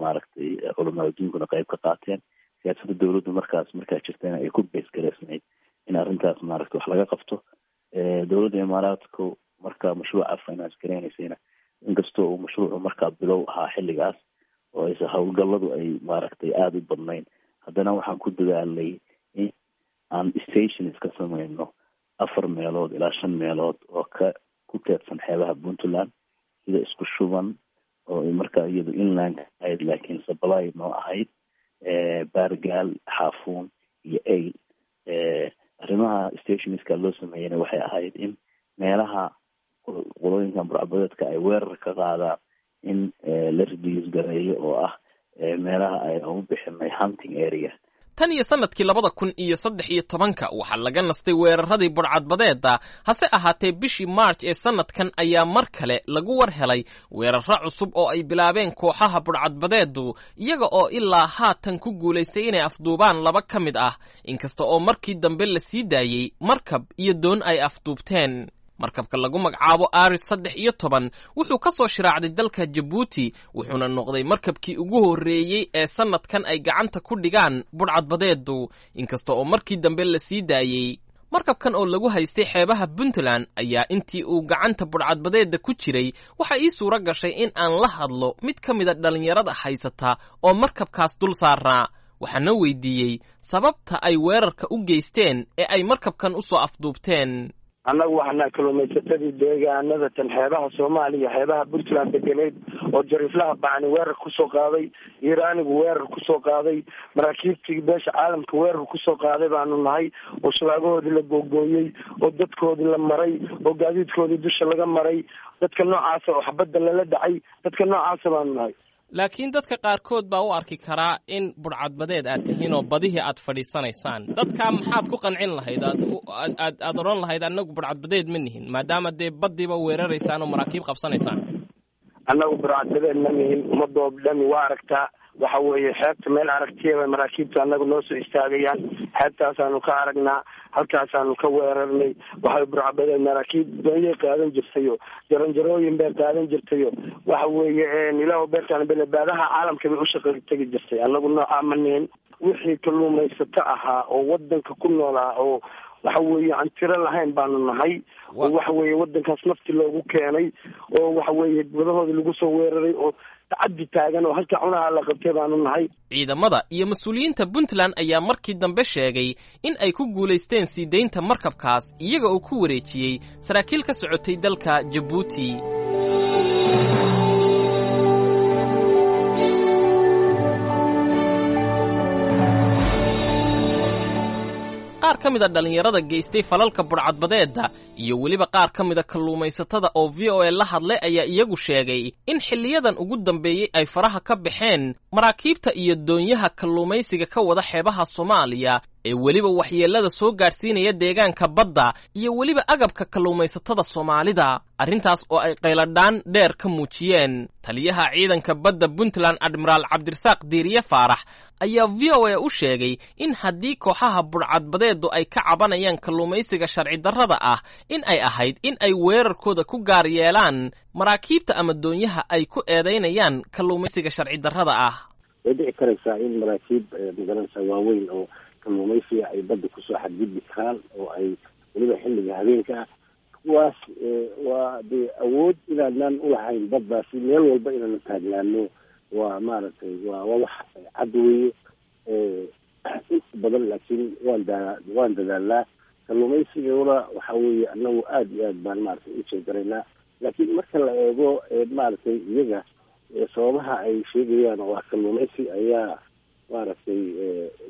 maaragtay culamada adduunkuna qeyb ka qaateen. Siyaasadda dowladdu markaas markaa jirtayna ay ku beesgareysnayd in arrintaas maaragtay wax laga qabto. Dowladda Imaaraadku marka mashruuca finance gareynaysayna, inkastoo uu mashruucu markaa bilow ahaa xilligaas oo aysa howlgalladu ay maaragtay aada u badnayn, haddana waxaan ku dadaalnay in aan stations ka sameyno afar meelood ilaa shan meelood oo ka ku teedsan xeebaha Puntland, sida Isku Shuban oo markaa iyadu inland ahayd laakiin supply noo ahayd, Baargaal, Xaafuun iyo Ayl. Arrimaha stationska loo sameeyeyna waxay ahayd in meelaha qolooyinkan burcabadeedka ay weerar ka qaadaan in la reduce gareeyo, oo ah meelaha ay ugu bixinay hunting area. Tan iyo sannadkii labada kun iyo saddex iyo tobanka waxaa laga nastay weeraradii budhcadbadeedda. Hase ahaatee, bishii March ee sannadkan ayaa mar kale lagu war helay weerarro cusub oo ay bilaabeen kooxaha budhcadbadeeddu, iyaga oo ilaa haatan ku guulaystay inay afduubaan laba ka mid ah, inkasta oo markii dambe la sii daayey markab iyo doon ay afduubteen. Markabka lagu magacaabo Aris saddex iyo toban wuxuu ka soo shiraacday dalka Jabuuti, wuxuuna noqday markabkii ugu horreeyey ee sannadkan ay gacanta ku dhigaan budhcadbadeeddu, inkasta oo markii dambe la sii daayey. Markabkan oo lagu haystay xeebaha Puntland ayaa intii uu gacanta budhcadbadeedda ku jiray waxaa ii suuro gashay in aan la hadlo mid ka mida dhallinyarada haysata oo markabkaas dul saarnaa, waxaana weydiiyey sababta ay weerarka u geysteen ee ay markabkan u soo afduubteen. Annagu waxanaa kalluumaysatadii deegaanada tan xeebaha Soomaaliya, xeebaha Puntland degeneyd, oo jariiflaha bacni weerar kusoo qaaday, Iiraanigu weerar kusoo qaaday, maraakiibtii beesha caalamka weerar kusoo qaaday baanu nahay, oo shabaagahoodii la googooyey, oo dadkoodii la maray, oo gaadiidkoodii dusha laga maray, dadka noocaasa oo xabadda lala dhacay, dadka noocaasa baanu nahay. Laakiin dadka qaarkood baa u arki karaa in budhcadbadeed aad tihiin oo badihii aad fadhiisanaysaan. Dadkaa maxaad ku qancin lahayd, aad aad aad odhan lahayd annagu budhcadbadeed ma nihin, maadaama dee baddiiba weeraraysaan oo maraakiib qabsanaysaan? Annagu budhcadbadeed ma nihin, ummadoo dhami waa aragtaa. Waxa weeye xeebta meel aragtiyaba maraakiibta annagu noo soo istaagayaan, xeebtaasaanu ka aragnaa, halkaasaanu ka weerarnay. Waxay burcabadeed maraakiib doonyay qaadan jirtayo, jaranjarooyin bay qaadan jirtayo, waxa weeye ilaah beertaan belebaadaha caalamka bay u shaqa tegi jirtay. Annagu noocaa ma nihin. Wixii kalluumaysato ahaa oo wadanka ku noolaa oo waxa weeye aan tiro lahayn baanu nahay, oo waxa weeye wadankaas nafti loogu keenay, oo waxa weeye wadahoodii lagu soo weeraray, oo tacaddi taagan, oo halka cunaha la qabtay baanu nahay. Ciidamada iyo mas-uuliyiinta Puntland ayaa markii dambe sheegay in ay ku guulaysteen sii daynta markabkaas, iyaga oo ku wareejiyey saraakiil ka socotay dalka Jabuuti. Qaar ka mida dhallinyarada geystay falalka budhcadbadeedda iyo weliba qaar ka mida kalluumaysatada oo V O A la hadlay ayaa iyagu sheegay in xilliyadan ugu dambeeyey ay faraha ka baxeen maraakiibta iyo doonyaha kalluumaysiga ka wada xeebaha Soomaaliya ee weliba waxyeellada soo gaadhsiinaya deegaanka badda iyo weliba agabka kalluumaysatada Soomaalida, arrintaas oo ay qayladhaan dheer ka muujiyeen. Taliyaha ciidanka badda Puntland, Admiraal Cabdirasaaq Diiriye Faarax, ayaa V O A u sheegay in haddii kooxaha budhcadbadeedu ay ka cabanayaan kalluumaysiga sharci darrada ah, in ay ahayd in ay weerarkooda ku gaar yeelaan maraakiibta ama doonyaha ay ku eedaynayaan kalluumaysiga sharci darrada ah. Way dhici karaysaa in maraakiib magaranaysaa waaweyn oo kalluumaysiga ay badda kusoo xadgudbi karaan, oo ay weliba xilliga habeenka ah Kuwaas waa dee awood inaanaan ulahayn baddaasi meel walba inaanu taagnaano waa maaragtay waa waa wax cad weeye inta badan, laakiin waan daa waan dadaalnaa. Kalluumaysiguna waxa weeye anagu aada iyo aad baan maaragtay u jeegaraynaa, laakiin marka la eego maaragtay iyaga sababaha ay sheegayaan oo ah kalluumaysi ayaa maaragtay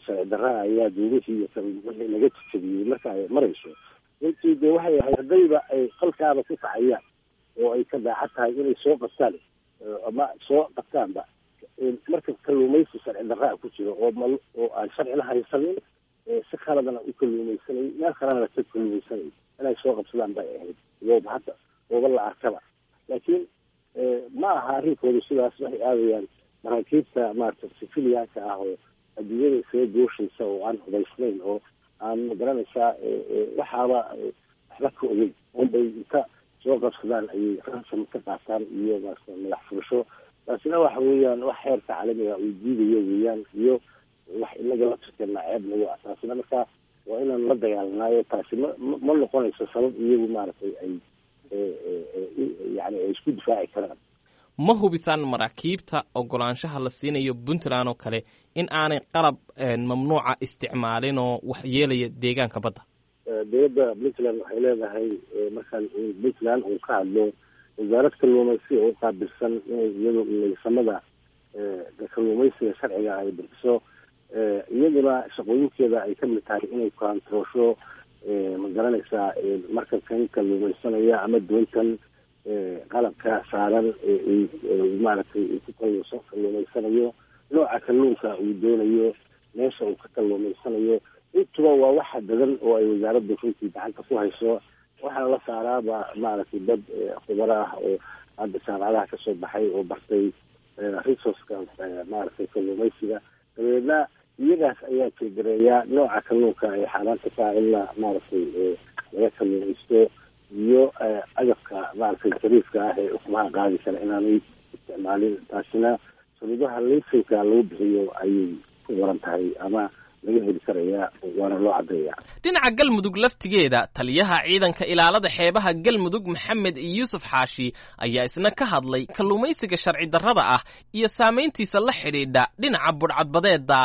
sharci darraa ayaa duumihii iyo wixii naga jejebiyey marka ay marayso, runtii dee waxay ahayd haddayba ay qalkaaba ku kacayaan oo ay ka daacad tahay inay soo qabtaan ama soo qabtaanba marka kalluumaysi sharci darraa ku jiro oo mal oo aan sharcina haysanin, si khaladana u kalluumaysanay, meel kalena ka kalluumaysanay, inay soo qabsadaan bay ahayd iyooba hadda ooba la arkaba. Laakiin ma aha arrinkoodu sidaas. Waxay aadayaan maraakiibta maaragtay sifiliyaanka ah oo adduunyada isaga gooshaysa oo aan hubaysnayn oo aan magaranaysaa waxaaba waxba ka ogeyn unbay inta soo qabsadaan ayay ransom ka qaataan iyo maarata madax furasho. Taasina waxa weeyaan wax xeerka caalamiga uu diidayo weeyaan, iyo wax inaga la tirkana ceeb nagu ah. Taasina marka waa inaan la dagaalanaayo. Taasi ma ma noqonayso sabab iyagu maaragtay ay yani ay isku difaaci karaan. Ma hubisaan maraakiibta ogolaanshaha la siinayo Puntland oo kale in aanay qalab mamnuuca isticmaalin oo wax yeelaya deegaanka badda? Dowladda Puntland waxay leedahay, markaan Puntland uu ka hadlo, wasaarad kalluumaysi oo qaabilsan inay iyadu laysamada kalluumaysiga sharciga ay bixiso, iyaduna shaqooyinkeeda ay kamid tahay inay koontaroosho, ma garanaysaa, markabkan kalluumaysanaya ama doontan qalabka saaran maaragtay uu ku kalluumaysanayo, nooca kalluunka uu doonayo, meesha uu ka kalluumaysanayo. Intuba waa waxa dadan oo ay wasaaraddu runtii gacanta ku hayso. Waxaana la saaraaba maaragtay dad khubaro ah oo hadda jaamacadaha kasoo baxay oo bartay resourceka maaragtay kalluumaysiga. Dabeedna iyagaas ayaa jegareeya nooca kalluunka ay xaaraanta ka in la maaragtay laga kalluumaysto iyo agabka maaragtay jariifka ah ee ukumaha qaadi kara inaanay isticmaalin. Taasina shuruudaha laysanka lagu bixiyo ayay ku qoran tahay ama laga heli karaya, waana loo caddeeya. Dhinaca Galmudug laftigeeda, taliyaha ciidanka ilaalada xeebaha Galmudug Maxamed Yuusuf Xaashi ayaa isna ka hadlay kalluumaysiga sharci darrada ah iyo saamayntiisa la xidhiidha dhinaca budhcadbadeeda.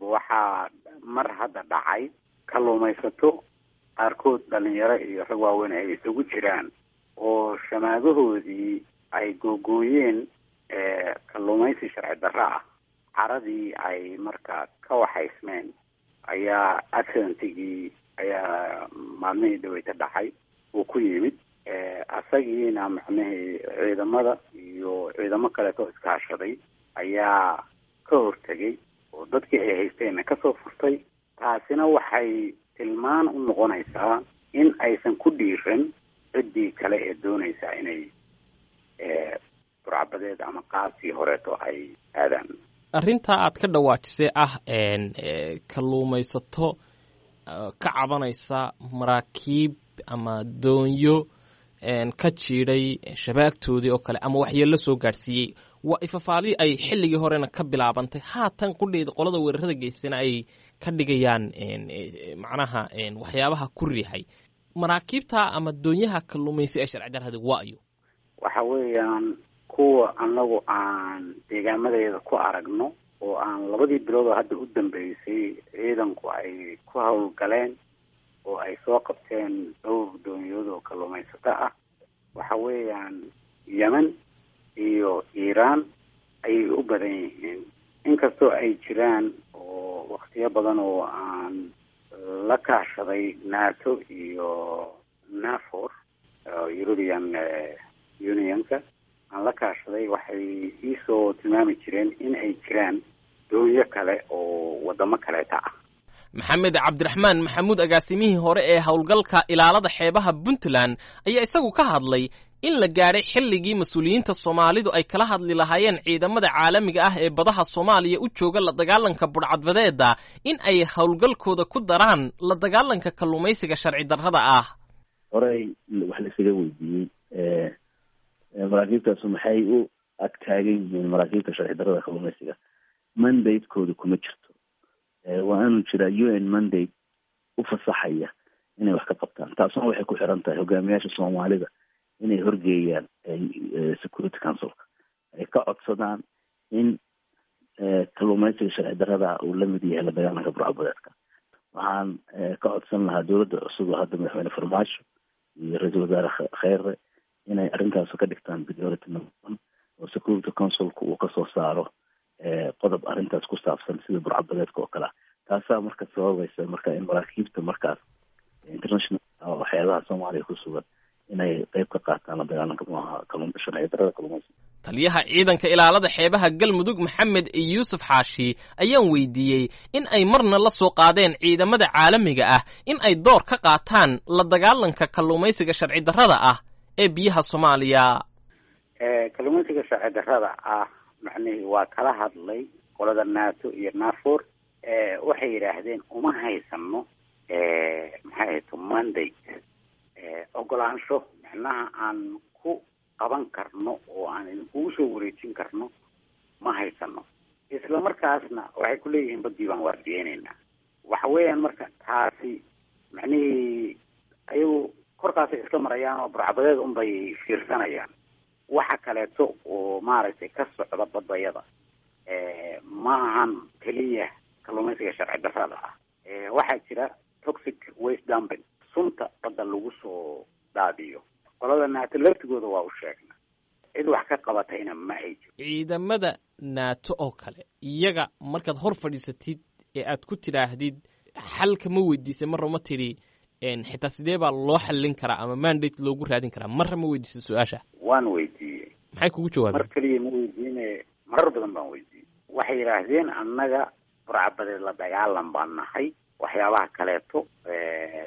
Waxaa mar hadda dhacay kalluumaysato qaarkood dhalinyaro iyo rag waaweyn ay isugu jiraan oo shamaadahoodii ay googooyeen kalluumaysi sharci darro ah, caradii ay markaa ka waxaysmeen ayaa accidentigii ayaa maalmihii dhaweyta dhacay uu ku yimid. Asagiina macnihii ciidamada iyo ciidamo kaleeto iskaashaday ayaa ka hortegay oo dadkii ay haysteenna kasoo furtay. Taasina waxay tilmaan u noqonaysaa in aysan ku dhiiran ciddii kale ee doonaysa inay burcabadeed ama qaabkii horeeto ay aadaan. Arrintaa aad ka dhawaajisay ah kalluumaysato ka cabanaysa maraakiib ama doonyo ka jiidhay shabaagtoodii oo kale ama waxyeello soo gaadhsiiyey, waa ifafaali ay xilligii horena ka bilaabantay, haatan qudheeda qolada weerarada geystana ay ka dhigayaan macnaha waxyaabaha ku riixay maraakiibta ama doonyaha kalluumaysi ee sharci darrada waayo. Waxa weeyaan kuwa anagu aan deegaamadeeda ku aragno oo aan labadii bilood oo hadda u dambeysay ciidanku ay ku howlgaleen oo ay soo qabteen dhowr doonyood oo kalluumaysato ah, waxa weeyaan Yemen iyo Iiraan ayay u badan yihiin, inkastoo ay jiraan oo waktiyo badan oo aan la kaashaday NATO iyo NAFOR, European Unionka aan la kaashaday, waxay iisoo tilmaami jireen in ay jiraan doonyo kale oo wadamo kaleeta ah. Maxamed Cabdiraxmaan Maxamuud, agaasimihii hore ee howlgalka ilaalada xeebaha Puntland, ayaa isagu ka hadlay in la gaadhay xilligii mas-uuliyiinta Soomaalidu ay kala hadli lahaayeen ciidamada caalamiga ah ee badaha Soomaaliya u jooga la dagaalanka budhcadbadeeda in ay howlgalkooda ku daraan la dagaalanka kalluumaysiga sharci darrada ah. Horey wax la isaga weydiiyey maraakiibtaasu maxay u ag taagan yihiin maraakiibta sharci darrada kalluumaysiga, mandate-kooda kuma jirto. Waa inuu jiraa U N mandate u fasaxaya inay wax ka qabtaan. Taasuna waxay ku xiran tahay hogaamiyaasha Soomaalida inay horgeeyaan Security Councilka, ay ka codsadaan in kalluumaysiga sharci darrada uu la mid yahay la dagaalanka burcadbadeedka. Waxaan ka codsan lahaa dowladda cusub oo hadda madaxweyne Farmaajo iyo ra-iisul wasaare Kheyre inay arrintaas ka dhigtaan priority number one, oo Security Councilka uu kasoo saaro qodob arrintaas ku saabsan sida burcadbadeedka oo kale ah. Taasaa marka sababaysa marka in maraakiibta markaas international waxyaabaha Soomaaliya ku sugan inay qayb ka qaataan la dagaalanka sharci darrada kalluumaysiga. Taliyaha ciidanka ilaalada xeebaha Galmudug Maxamed Yuusuf Xaashi ayaan weydiiyey in ay marna la soo qaadeen ciidamada caalamiga ah in ay door ka qaataan la dagaalanka kalluumaysiga sharci darrada ah ee biyaha Soomaaliya. Kalluumaysiga sharci darrada ah macnihii waa kala hadlay qolada NATO iyo NAFOR. Waxay yidhaahdeen uma haysano maxay ahayto mandate, ogolaansho macnaha aan ku qaban karno oo aan idinkugu soo wareejin karno ma haysano. Isla markaasna waxay ku leeyihiin baddii baan waardiyeynaynaa. Waxa weeyaan marka taasi macnihii ayagu korkaasay iska marayaan oo burcadbadeed unbay fiirsanayaan. Waxa kaleeto oo maaragtay ka socda badbayada ma ahan keliya kalluumaysiga sharci darrada ah. Waxaa jira toxic waste dumping, sunta badda lagu soo daadiyo. Qolada NATO laftigooda waa u sheegna, cid wax ka qabatayna ma ay jiro. Ciidamada NATO oo kale iyaga markaad hor fadhiisatid ee aad ku tidhaahdid xalka ma weydiisay marra ma tidhi xitaa sidee baa loo xallin karaa ama mandate loogu raadin karaa, marra ma weydiisay su-aasha? Waan weydiiyey. Maxay kugu jawaabeen? Mar keliya ma weydiine, marar badan baan weydiiyey. Waxay yidhaahdeen annaga burcadbadeed la dagaalan baan nahay, waxyaabaha kaleeto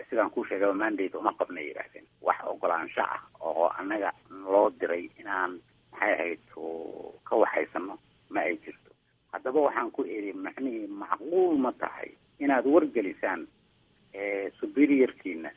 sidaan kuu sheegaba mandate uma qabnay yidhaahdeen. Wax ogolaansho ah oo annaga loo diray inaan maxay ahayd ka waxaysano ma ay jirto. Haddaba waxaan ku iri macnihii macquul ma tahay inaad wargelisaan superiorkiina,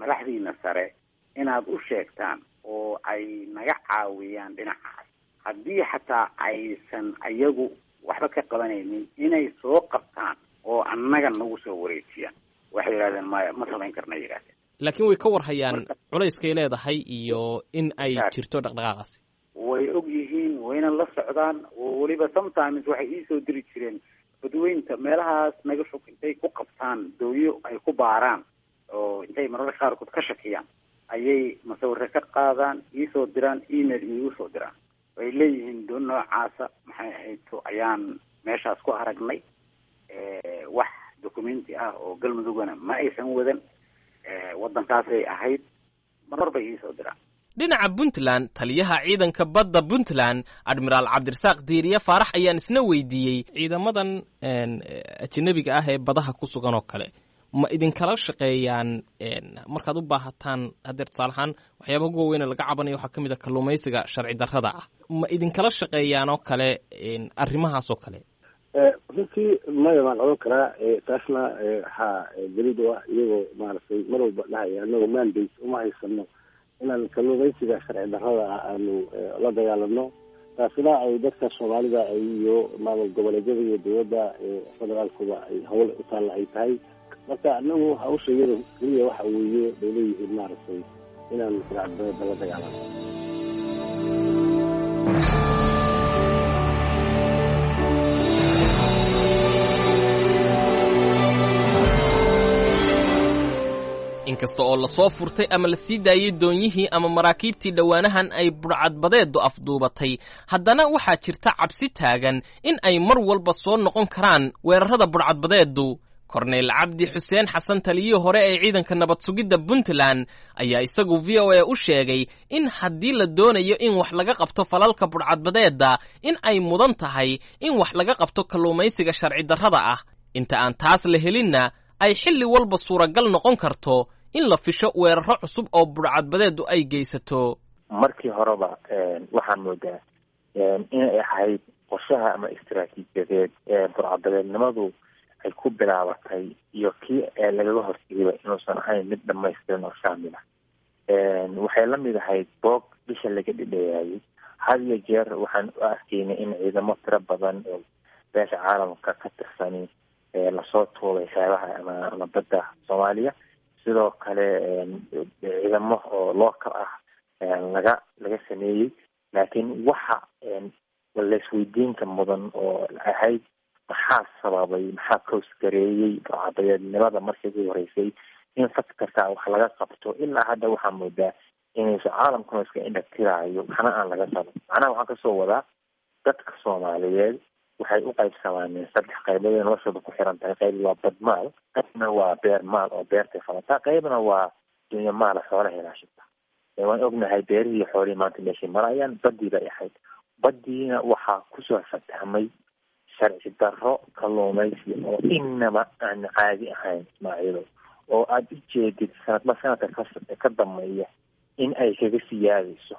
madaxdiina sare inaad u sheegtaan oo ay naga caawiyaan dhinacaas, haddii xataa aysan ayagu waxba ka qabanaynin inay soo qabtaan oo annaga nagu soo wareejiyaan. Waxay yidhahdeen maya, ma samayn karna yidhahdeen. Laakiin way ka warhayaan culayskay leedahay iyo in ay jirto dhaqdhaqaaqaasi. Way og yihiin, wayna la socdaan, oo weliba sometimes waxay iisoo diri jireen badweynta meelahaas naga fog intay ku qabtaan dooyo ay ku baaraan oo intay mararka qaarkood ka shakiyaan ayay masawiro ka qaadaan, iisoo diraan, email iigu soo diraan. Way leeyihiin doon noocaasa maxay ahayd ayaan meeshaas ku aragnay, wax documenti ah oo Galmudugana ma aysan wadan, waddankaasay ahayd, marar bay iisoo diraan. Dhinaca Puntland, taliyaha ciidanka badda Puntland Admiraal Cabdirasaaq Diiriye Faarax ayaan isna weydiiyey ciidamadan ajanabiga ah ee badaha ku sugan oo kale ma idinkala shaqeeyaan markaad u baahataan? Haddeer tusaale ahaan waxyaabaha ugu waaweyne laga cabanayo waxaa ka mid a kalluumaysiga sharci darrada ah, ma idinkala shaqeeyaan oo kale arrimahaas oo kale? Runtii maya baan odhan karaa. Taasna waxaa daliil u ah iyagoo maaragtay mar walba dhahaya anagoo mandate uma haysano inaan kalluumaysiga sharci darrada ah aanu la dagaalano. Taasina ay dadka Soomaalida iyo maamul goboleedyada iyo dowladda federaalkuba ay hawl u taalla ay tahay. Marka anagu hawsha iyada keliya waxa weeye bay leeyihiin maaragtay inaan burcadbadeedda la dagaalano. Inkasta oo lasoo furtay ama la sii daayey doonyihii ama maraakiibtii dhowaanahan ay budhcadbadeedu afduubatay, haddana waxaa jirta cabsi taagan in ay mar walba soo noqon karaan weerarrada budhcadbadeedu. Korneyl Cabdi Xuseen Xasan, taliyihii hore ee ciidanka nabad sugidda Puntland, ayaa isagu V O A u sheegay in haddii la doonayo in wax laga qabto falalka budhcadbadeedda in ay mudan tahay in wax laga qabto kalluumaysiga sharci darrada ah, inta aan taas la helinna ay xilli walba suuragal noqon karto in la fisho weerarro cusub oo budhcadbadeedu ay geysato. Markii horeba waxaan moodaa inay ahayd qorshaha ama istaraatiijiyadeed ee burcadbadeednimadu ay ku bilaabatay iyo kii lagaga hortegayba inuusan ahayn mid dhamaystiran oo shaamil ah. Waxay la mid ahayd boog bisha laga dhidheeyaayay. Had iyo jeer waxaan u arkaynay in ciidamo tiro badan oo beesha caalamka ka tirsani lasoo tuubay xeebaha ama ama badda Soomaaliya Sidoo kale ciidamo oo local ah laga laga sameeyey. Laakiin waxa laisweydiinka mudan oo ahayd maxaa sababay, maxaa koosgareeyey burcadbadeednimada markii ugu horeysay in faktarka wax laga qabto? Ilaa hadda waxaa moodaa inaysu caalamkuna iska indhatiraayo, waxna aan laga qaban. Macnaha waxaan kasoo wadaa dadka Soomaaliyeed waxay u qaybsamaaneen saddex qaybood ee noloshooda ku xiran tahay. Qayb waa badmaal, qaybna waa beer maal oo beertay falataa, qaybna waa dunyo maala xoolaha ilaashata. Waan ognahay beerihii iyo xoolihii maanta meeshay marayaan, badii bay ahayd. Badiina waxaa kusoo fatahmay sharci darro kalluumaysi oo inaba aan caadi ahayn, Ismaaciilo, oo aada u jeedid sanadba sanadka ka ka dambeeya in ay kaga siyaadayso,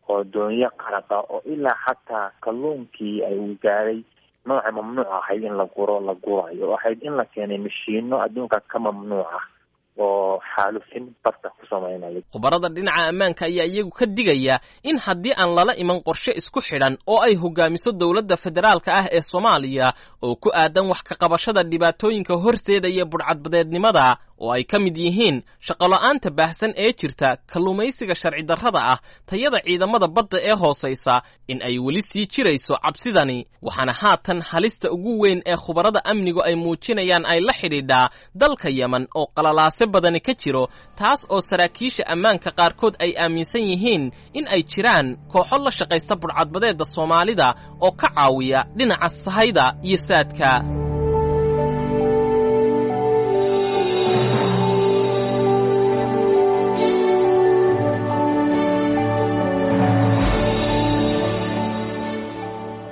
oo doonyo qaraqa oo ilaa xataa kalluunkii ay uu gaaray nooca mamnuuc ahayd in la guro la gurayo, oo ahayd in la keenay mashiino adduunka ka mamnuuc ah oo xaalufin badda ku sameynaya. Khubarada dhinaca ammaanka ayaa iyagu ka digaya in haddii aan lala iman qorshe isku xidhan oo ay hogaamiso dowladda federaalka ah ee Soomaaliya oo ku aadan wax ka qabashada dhibaatooyinka horseedaya budhcadbadeednimada, oo ay ka mid yihiin shaqola'aanta baahsan ee jirta, kalluumaysiga sharci darrada ah, tayada ciidamada badda ee hoosaysa, in ay weli sii jirayso cabsidani. Waxaana haatan halista ugu weyn ee khubarada amnigu ay muujinayaan ay la xidhiidhaa dalka Yemen oo qalalaase badani ka jiro, taas oo saraakiisha ammaanka qaarkood ay aaminsan yihiin in ay jiraan kooxo la shaqaysta budhcadbadeedda Soomaalida oo ka caawiya dhinaca sahayda iyo saadka.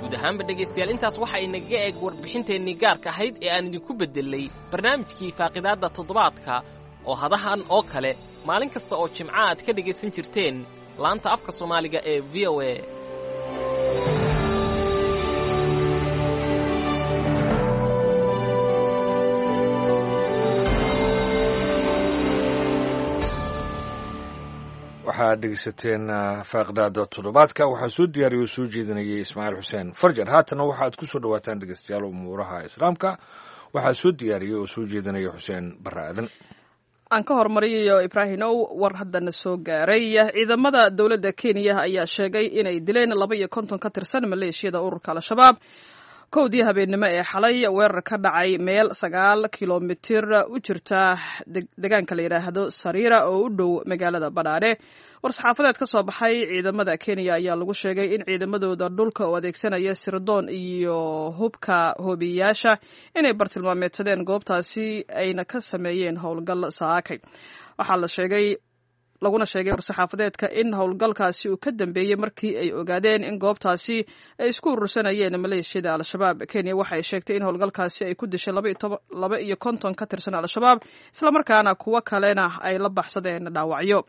Guud ahaanba dhegaystayaal, intaas waxa inagaga eeg warbixinteennii gaarka ahayd ee aan idinku beddelay barnaamijkii faaqidaadda toddobaadka oo hadahan oo kale maalin kasta oo jimca aad ka dhegaysan jirteen laanta afka Soomaaliga ee V O A. Waxaad dhegeysateen faaqidaada toddobaadka. Waxaa soo diyaariya oo soo jeedinayay Ismaaciil Xuseen Farjar. Haatana waxaad ku soo dhawaataan dhegeystayaal umuuraha Islaamka. Waxaa soo diyaariyay oo soo jeedinaya Xuseen Barre Aadan. Aan ka hormariyayo Ibraahimow, war haddana soo gaaray. Ciidamada dowladda Kenya ayaa sheegay inay dileen laba iyo konton ka tirsan maleeshiyada ururka Al-Shabaab kowdii habeennimo ee xalay weerar ka dhacay meel sagaal kilomitir u jirta deegaanka la yidhaahdo Sariira oo u dhow magaalada Badhaadhe. War-saxaafadeed ka soo baxay ciidamada Kenya ayaa lagu sheegay in ciidamadooda dhulka oo adeegsanaya sirdoon iyo hubka hoobiyayaasha inay bartilmaameedsadeen goobtaasi ayna ka sameeyeen howlgal saakay. Waxaa la sheegay laguna sheegay war-saxaafadeedka in howlgalkaasi uu ka dambeeyey markii ay ogaadeen in goobtaasi ay isku urursanayeen maleeshiyada Al-Shabaab. Kenya waxay sheegtay in howlgalkaasi ay ku dishay laba iyo konton ka tirsan Al-Shabaab, islamarkaana kuwo kalena ay la baxsadeen dhaawacyo.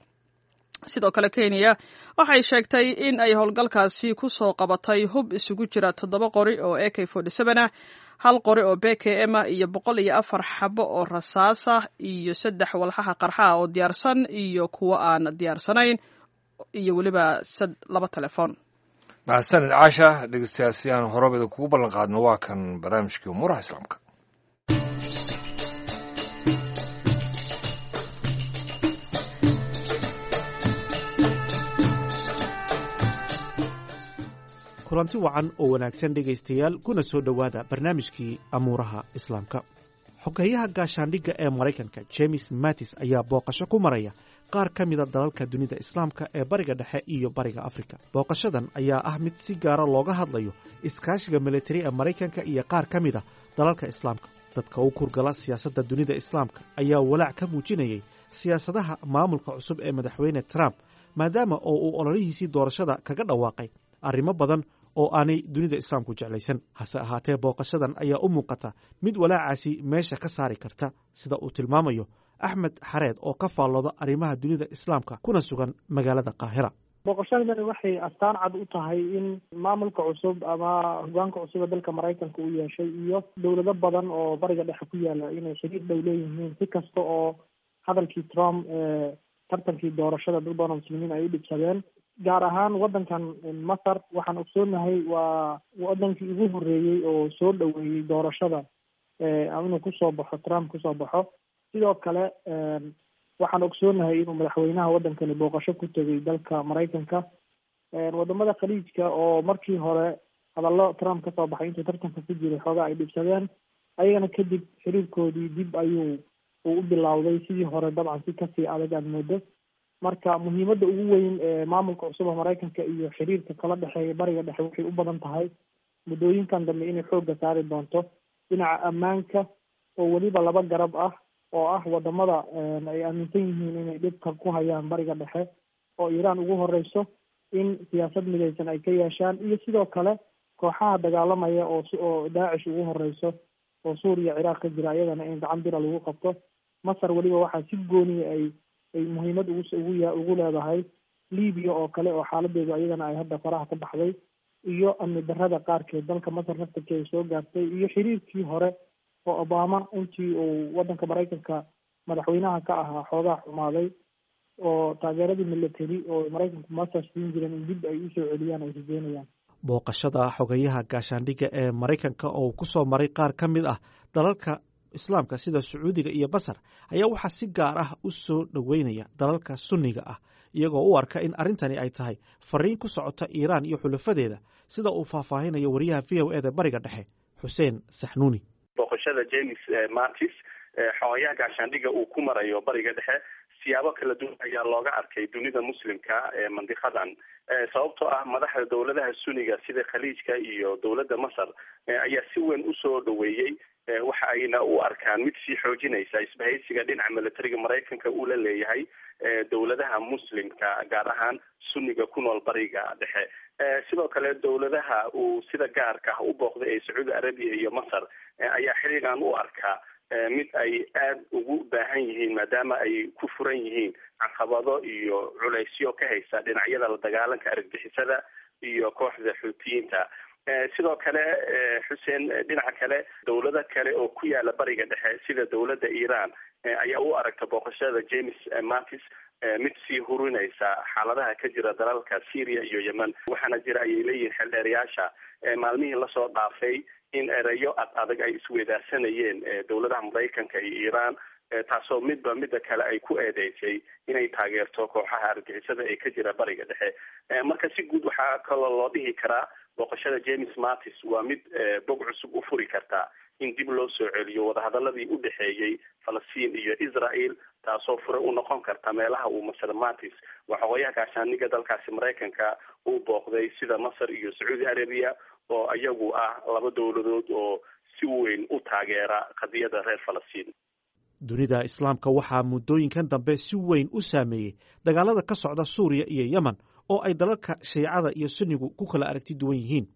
Sidoo kale Kenya waxay sheegtay in ay howlgalkaasi ku soo qabatay hub isugu jira toddoba qori oo A K forty seven ah, hal qori oo B K M ah iyo boqol iyo afar xabo oo rasaas ah iyo saddex walxaha qarxaha oo diyaarsan iyo kuwo aan diyaarsanayn iyo weliba laba telefoon. Mahadsanid Caasha. Dhegeystayaal, si aan horabeda kugu ballan qaadno waa kan barnaamijkii umuuraha Islaamka. Kulanti wacan oo wanaagsan dhegaystayaal, kuna soo dhowaada barnaamijkii amuuraha Islaamka. Xogeyaha gaashaandhigga ee Maraykanka James Mattis ayaa booqasho ku maraya qaar ka mida dalalka dunida Islaamka ee Bariga Dhexe iyo Bariga Afrika. Booqashadan ayaa ah mid si gaara looga hadlayo iskaashiga militari ee Maraykanka iyo qaar ka mida dalalka Islaamka. Dadka u kurgala siyaasadda dunida Islaamka ayaa walaac ka muujinayay siyaasadaha maamulka cusub ee madaxweyne Trump, maadaama oo uu ololihiisii doorashada kaga dhawaaqay arrimo badan oo aanay dunida Islaamku jeclaysan. Hase ahaatee, booqashadan ayaa u muuqata mid walaacaasi meesha ka saari karta, sida uu tilmaamayo Axmed Xareed oo ka faallooda arrimaha dunida Islaamka kuna sugan magaalada Qaahira. Booqashadani waxay astaan cad u tahay in maamulka cusub ama hogaanka cusub ee dalka Maraykanka uu yeeshay iyo dowlado badan oo Bariga Dhexe ku yaala inay xiriir dhow leeyihiin, si kasta oo hadalkii Trump ee tartankii doorashada dad badan oo muslimiin ay u dhibsadeen. Gaar ahaan waddankan Masar waxaan ogsoonahay waa wadankii ugu horreeyey oo soo dhoweeyey doorashada inuu kusoo baxo Trump kusoo baxo. Sidoo kale Waxaan ogsoonahay inuu madaxweynaha waddankani booqasho ku tegay dalka Maraykanka. Wadamada Khaliijka oo markii hore hadallo Trump kasoo baxay intuu tartanka ku jiray xoogaa ay dhibsadeen, ayagana kadib xiriirkoodii dib ayuu uu u bilowday sidii hore, dabcan si kasii adag aad moodo. Marka muhiimadda ugu weyn ee maamulka cusub ee Maraykanka iyo xiriirka kala dhexeeya Bariga Dhexe waxay u badan tahay muddooyinkan dambe inay xoogga saari doonto dhinaca ammaanka, oo weliba laba garab ah oo ah wadamada ay aaminsan yihiin inay dhibka ku hayaan Bariga Dhexe oo Iiraan ugu horeyso, in siyaasad midaysan ay ka yeeshaan, iyo sidoo kale kooxaha dagaalamaya oo oo Daacish ugu horeyso oo Suuriya, Ciraaq ka jira, iyadana in gacan bira lagu qabto. Masar weliba waxaa si gooniya ay ay muhiimad ugu ugu ugu leedahay Libiya oo kale oo xaaladeedu iyadana ay hadda faraha ka baxday, iyo amni darrada qaarkeed dalka Masar naftarkeeda soo gaartay, iyo xiriirkii hore oo Obama intii uu waddanka Maraykanka madaxweynaha ka ahaa xoogaa xumaaday, oo taageeradii military oo Maraykanku Masar siin jireen in dib ay usoo celiyaan ay rajeynayaan. Booqashada xogayaha gaashaandhigga ee Maraykanka oo uu ku soo maray qaar ka mid ah dalalka Islaamka sida Sacuudiga iyo Masar ayaa waxaa si gaar ah u soo dhoweynaya dalalka Sunniga ah, iyagoo u arka in arrintani ay tahay fariin ku socota Iiraan iyo xulafadeeda, sida uu faahfaahinayo wariyaha V O E da Bariga Dhexe, Xuseen Saxnuuni. Booqashada James Mattis, xogayaha gaashaandhigga, uu ku marayo Bariga Dhexe siyaabo kala duwan ayaa looga arkay dunida Muslimka ee mandiqadan, sababtoo ah madaxda dowladaha Sunniga sida Khaliijka iyo dowladda Masar ayaa si weyn usoo dhaweeyey, waxa ayna u arkaan mid sii xoojinaysa isbahaysiga dhinaca militariga Maraykanka uu la leeyahay dowladaha Muslimka, gaar ahaan Sunniga ku nool Bariga Dhexe. Sidoo kale dowladaha uu sida gaarka ah u booqday ee Sacuudi Arabiya iyo Masar ayaa xiriirkan u arkaa mid ay aada ugu baahan yihiin, maadaama ay ku furan yihiin caqabado iyo culaysyo ka haysa dhinacyada la dagaalanka argagixisada iyo kooxda Xuutiyiinta. Sidoo kale, Xuseen, dhinaca kale dowlado kale oo ku yaala Bariga Dhexe sida dowladda Iiraan ayaa u aragta booqashada James Mattis mid sii hurinaysa xaaladaha ka jira dalalka Syria iyo Yemen. Waxaana jira, ayay leeyihiin xeldheerayaasha, maalmihii lasoo dhaafay in ereyo ad adag ay isweedaarsanayeen dowladaha Maraykanka iyo Iiraan, taasoo midba midda kale ay ku eedeysay inay taageerto kooxaha argagixisada ee ka jira Bariga Dhexe. Marka si guud waxaa kaloo loo dhihi karaa booqashada James Mattis waa mid bog cusub u furi karta in dib loo soo celiyo wadahadaladii u dhexeeyey Falastiin iyo Israel, taasoo fure u noqon karta meelaha uu Masar Mattis, waa xogayaha gaashaaniga dalkaasi Maraykanka, uu booqday sida Masar iyo Sacuudi Arabiya oo iyagu ah laba dowladood oo si weyn u taageera qadiyada reer Falastiin. Dunida Islaamka waxaa muddooyinkan dambe si weyn u saameeyey dagaalada ka socda Suuriya iyo Yemen oo ay dalalka Shiicada iyo Sunnigu ku kala aragti duwan yihiin.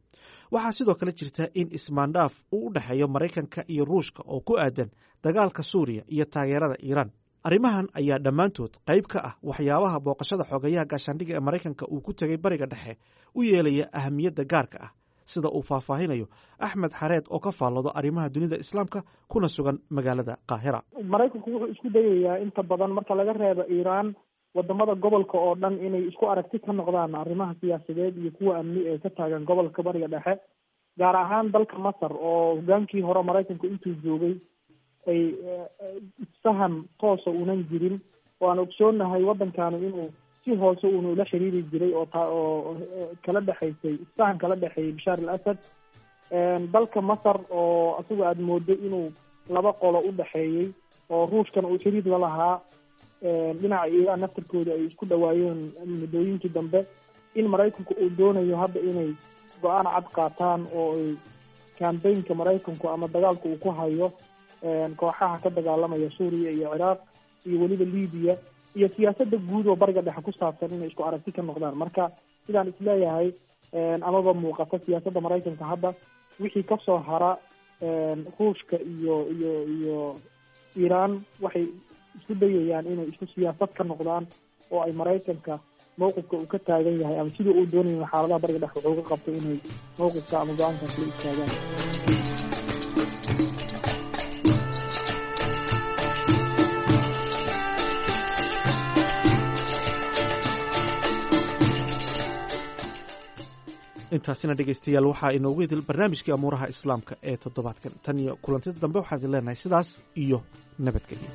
Waxaa sidoo kale jirta in ismaandhaaf uu u dhexeeyo Maraykanka iyo Ruushka oo ku aadan dagaalka Suuriya iyo taageerada Iiraan. Arrimahan ayaa dhammaantood qayb ka ah waxyaabaha booqashada xogayaha gaashaandhigga ee Maraykanka uu ku tegay Bariga Dhexe u yeelaya ahamiyadda gaarka ah, sida uu faahfaahinayo Axmed Xareed oo ka faallado arrimaha dunida Islaamka kuna sugan magaalada Qaahira. Maraykanku wuxuu isku dayayaa inta badan, marka laga reebo Iiraan, wadamada gobolka oo dhan inay isku aragti ka noqdaan arrimaha siyaasadeed iyo kuwa amni ee ka taagan gobolka Bariga Dhexe, gaar ahaan dalka Masar oo hogaankii hore Maraykanku intuu joogay ay isfaham toosa unan jirin, oo aan ogsoonahay waddankani inuu si hoose uuna ula xiriiri jiray oo ta oo kala dhexaysay isfahan kala dhexeeyay Bashaar al Asad. Dalka Masar oo isagu aada moodo inuu laba qolo u dhexeeyey, oo Ruushkana uu xiriir la lahaa, dhinaca Iiraan naftarkooda ay isku dhawaayeen muddooyinkii dambe, in Maraykanku uu doonayo hadda inay go-aan cad qaataan oo ay kambaynka Maraykanku ama dagaalka uu ku hayo kooxaha ka dagaalamaya Suuriya iyo Ciraaq iyo weliba Libiya iyo siyaasadda guud oo Bariga Dhexe ku saabsan inay isku aragti ka noqdaan. Marka sidaan isleeyahay amaba muuqata siyaasadda Maraykanka hadda, wixii kasoo hara Ruushka iyo iyo iyo Iiraan waxay isku dayayaan inay isku siyaasad ka noqdaan oo ay Maraykanka mawqifka uu ka taagan yahay ama sidii uu doonayo xaaladaha Bariga Dhexe wuxuu ka qabto inay mawqifka ama go-aankan kula istaagaan. Intaasina dhegeystayaal waxaa inoogu idil barnaamijkii amuuraha Islaamka ee toddobaadkan. Tan iyo kulantida dambe waxaan idin leenahay sidaas iyo nabadgelyo.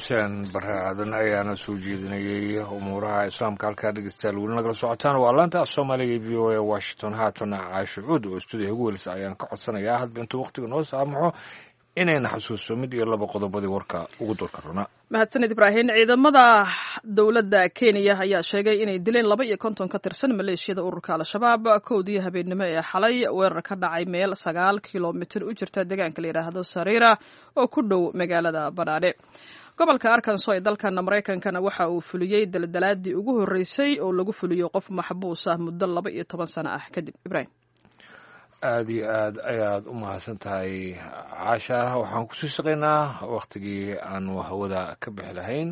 Xuseen Bare Aadan ayaana soo jeedinayay umuuraha islaamka. Halkaa dhegeystayaal weli nagala socotaan waa laanta af soomaaliga ee V O A Washington. Haatana Caasho Cuud oo stuudiyaha ugu welisa ayaan ka codsanayaa hadba intuu waqtiga noo saamaxo inayna xasuusto mid iyo laba qodobadii warka ugu doorka runa. Mahadsanid Ibraahin. Ciidamada dowladda Kenya ayaa sheegay inay dileen laba iyo konton ka tirsan maleeshiyada ururka Al-Shabaab kowdii habeenimo ee xalay weerar ka dhacay meel sagaal kilomitir u jirta deegaanka la yidhaahdo Sariira oo ku dhow magaalada Badhaadhe. Gobolka Arkansas ee dalkan Maraykankana waxa uu fuliyey daldalaadii ugu horreysay oo lagu fuliyo qof maxbuus ah muddo laba iyo toban sano ah kadib. Ibrahim, aada iyo aad ayaad u mahadsan tahay Caasha. Waxaan kusii shaqaynaa wakhtigii aanu hawada ka bixi lahayn.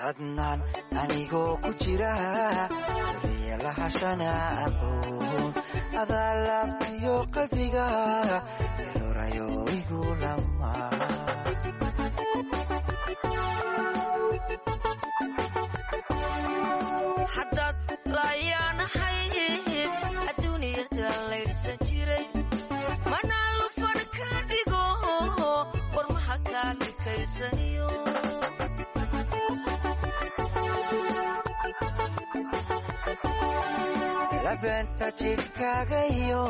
Adnaan anigoo ku jira daryalahashana aqoon adaa laabtiyo qalbiga elorayo igu lama. Haddaad laayaanahayd adduunyada laydhsan jiray mana lufan ka dhigo warmaha kaa dhikaysaniyo. Labeenta jidhkaaga iyo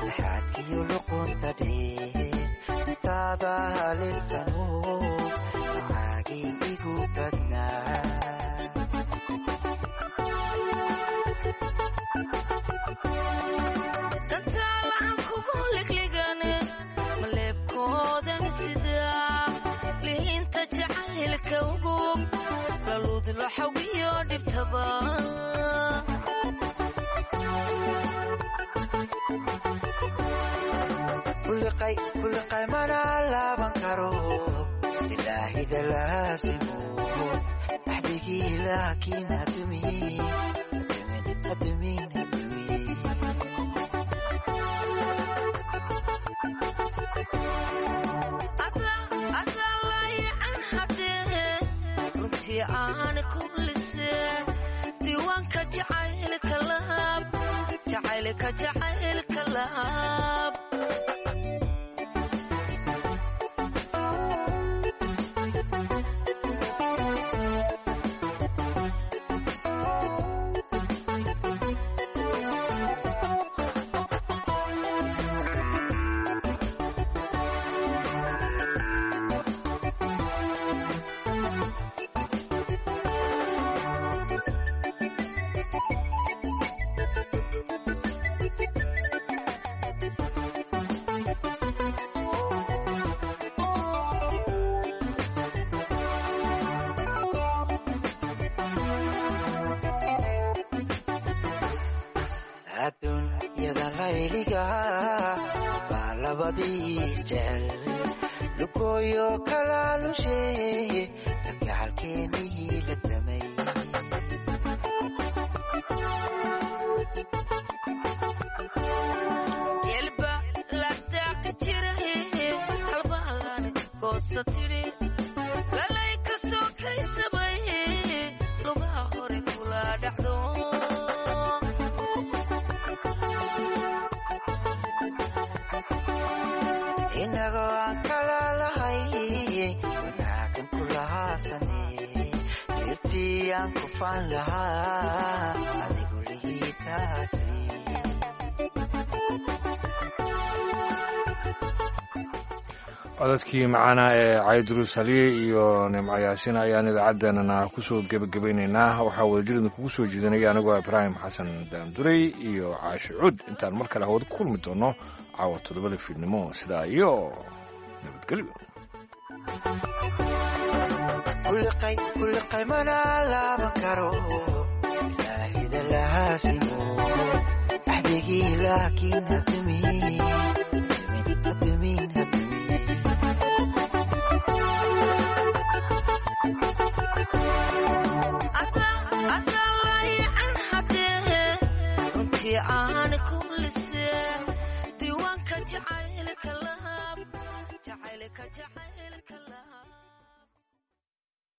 laxaadkiyo luqunta dheer intaada haleelsano macaagii igu badnaa. Dantaalahan kugu ligligan maleebkoodan sidaa lihinta jacaylka ugub laluud laxawiyo dhibtaba. Kuliqay mana laaban karo ilaahida laasimo axdigii laakiin hadumin hadumin hadumin. Adaa laayacan hadee runtii aan kublise diiwaanka jacaylka laab jacaylka jacaylka laab. Adduunyada layliga baa labadii jecel lugooyo kalaalushe kalgacalkeenii la damay. Yelba la daaqi jiray halbaalan goosa tidhi lalay ka soo kaysabay lugaha hore kula dhacdo. Inagoo aan kala lahay wanaagan kulahaasane dirtii aan ku faan lahaa adigu lihiitaasi. Codadkii macaana ee Cayduruus Haliye iyo Nimco Yaasiin ayaan idaacaddeenana kusoo gebagabaynaynaa. Waxaa wadajir kugu soo jeedinaya anigoo Ibraahim Xasan Daanduray iyo Caashi Cuud. Intaan mar kale hawada ku kulmi doono caawa toddobada fiidnimo, sidaa iyo nabadgelyo. Kuliqay kuliqay mana laaban karo ilaahida lahaasimo axdigii laakiin hadumin.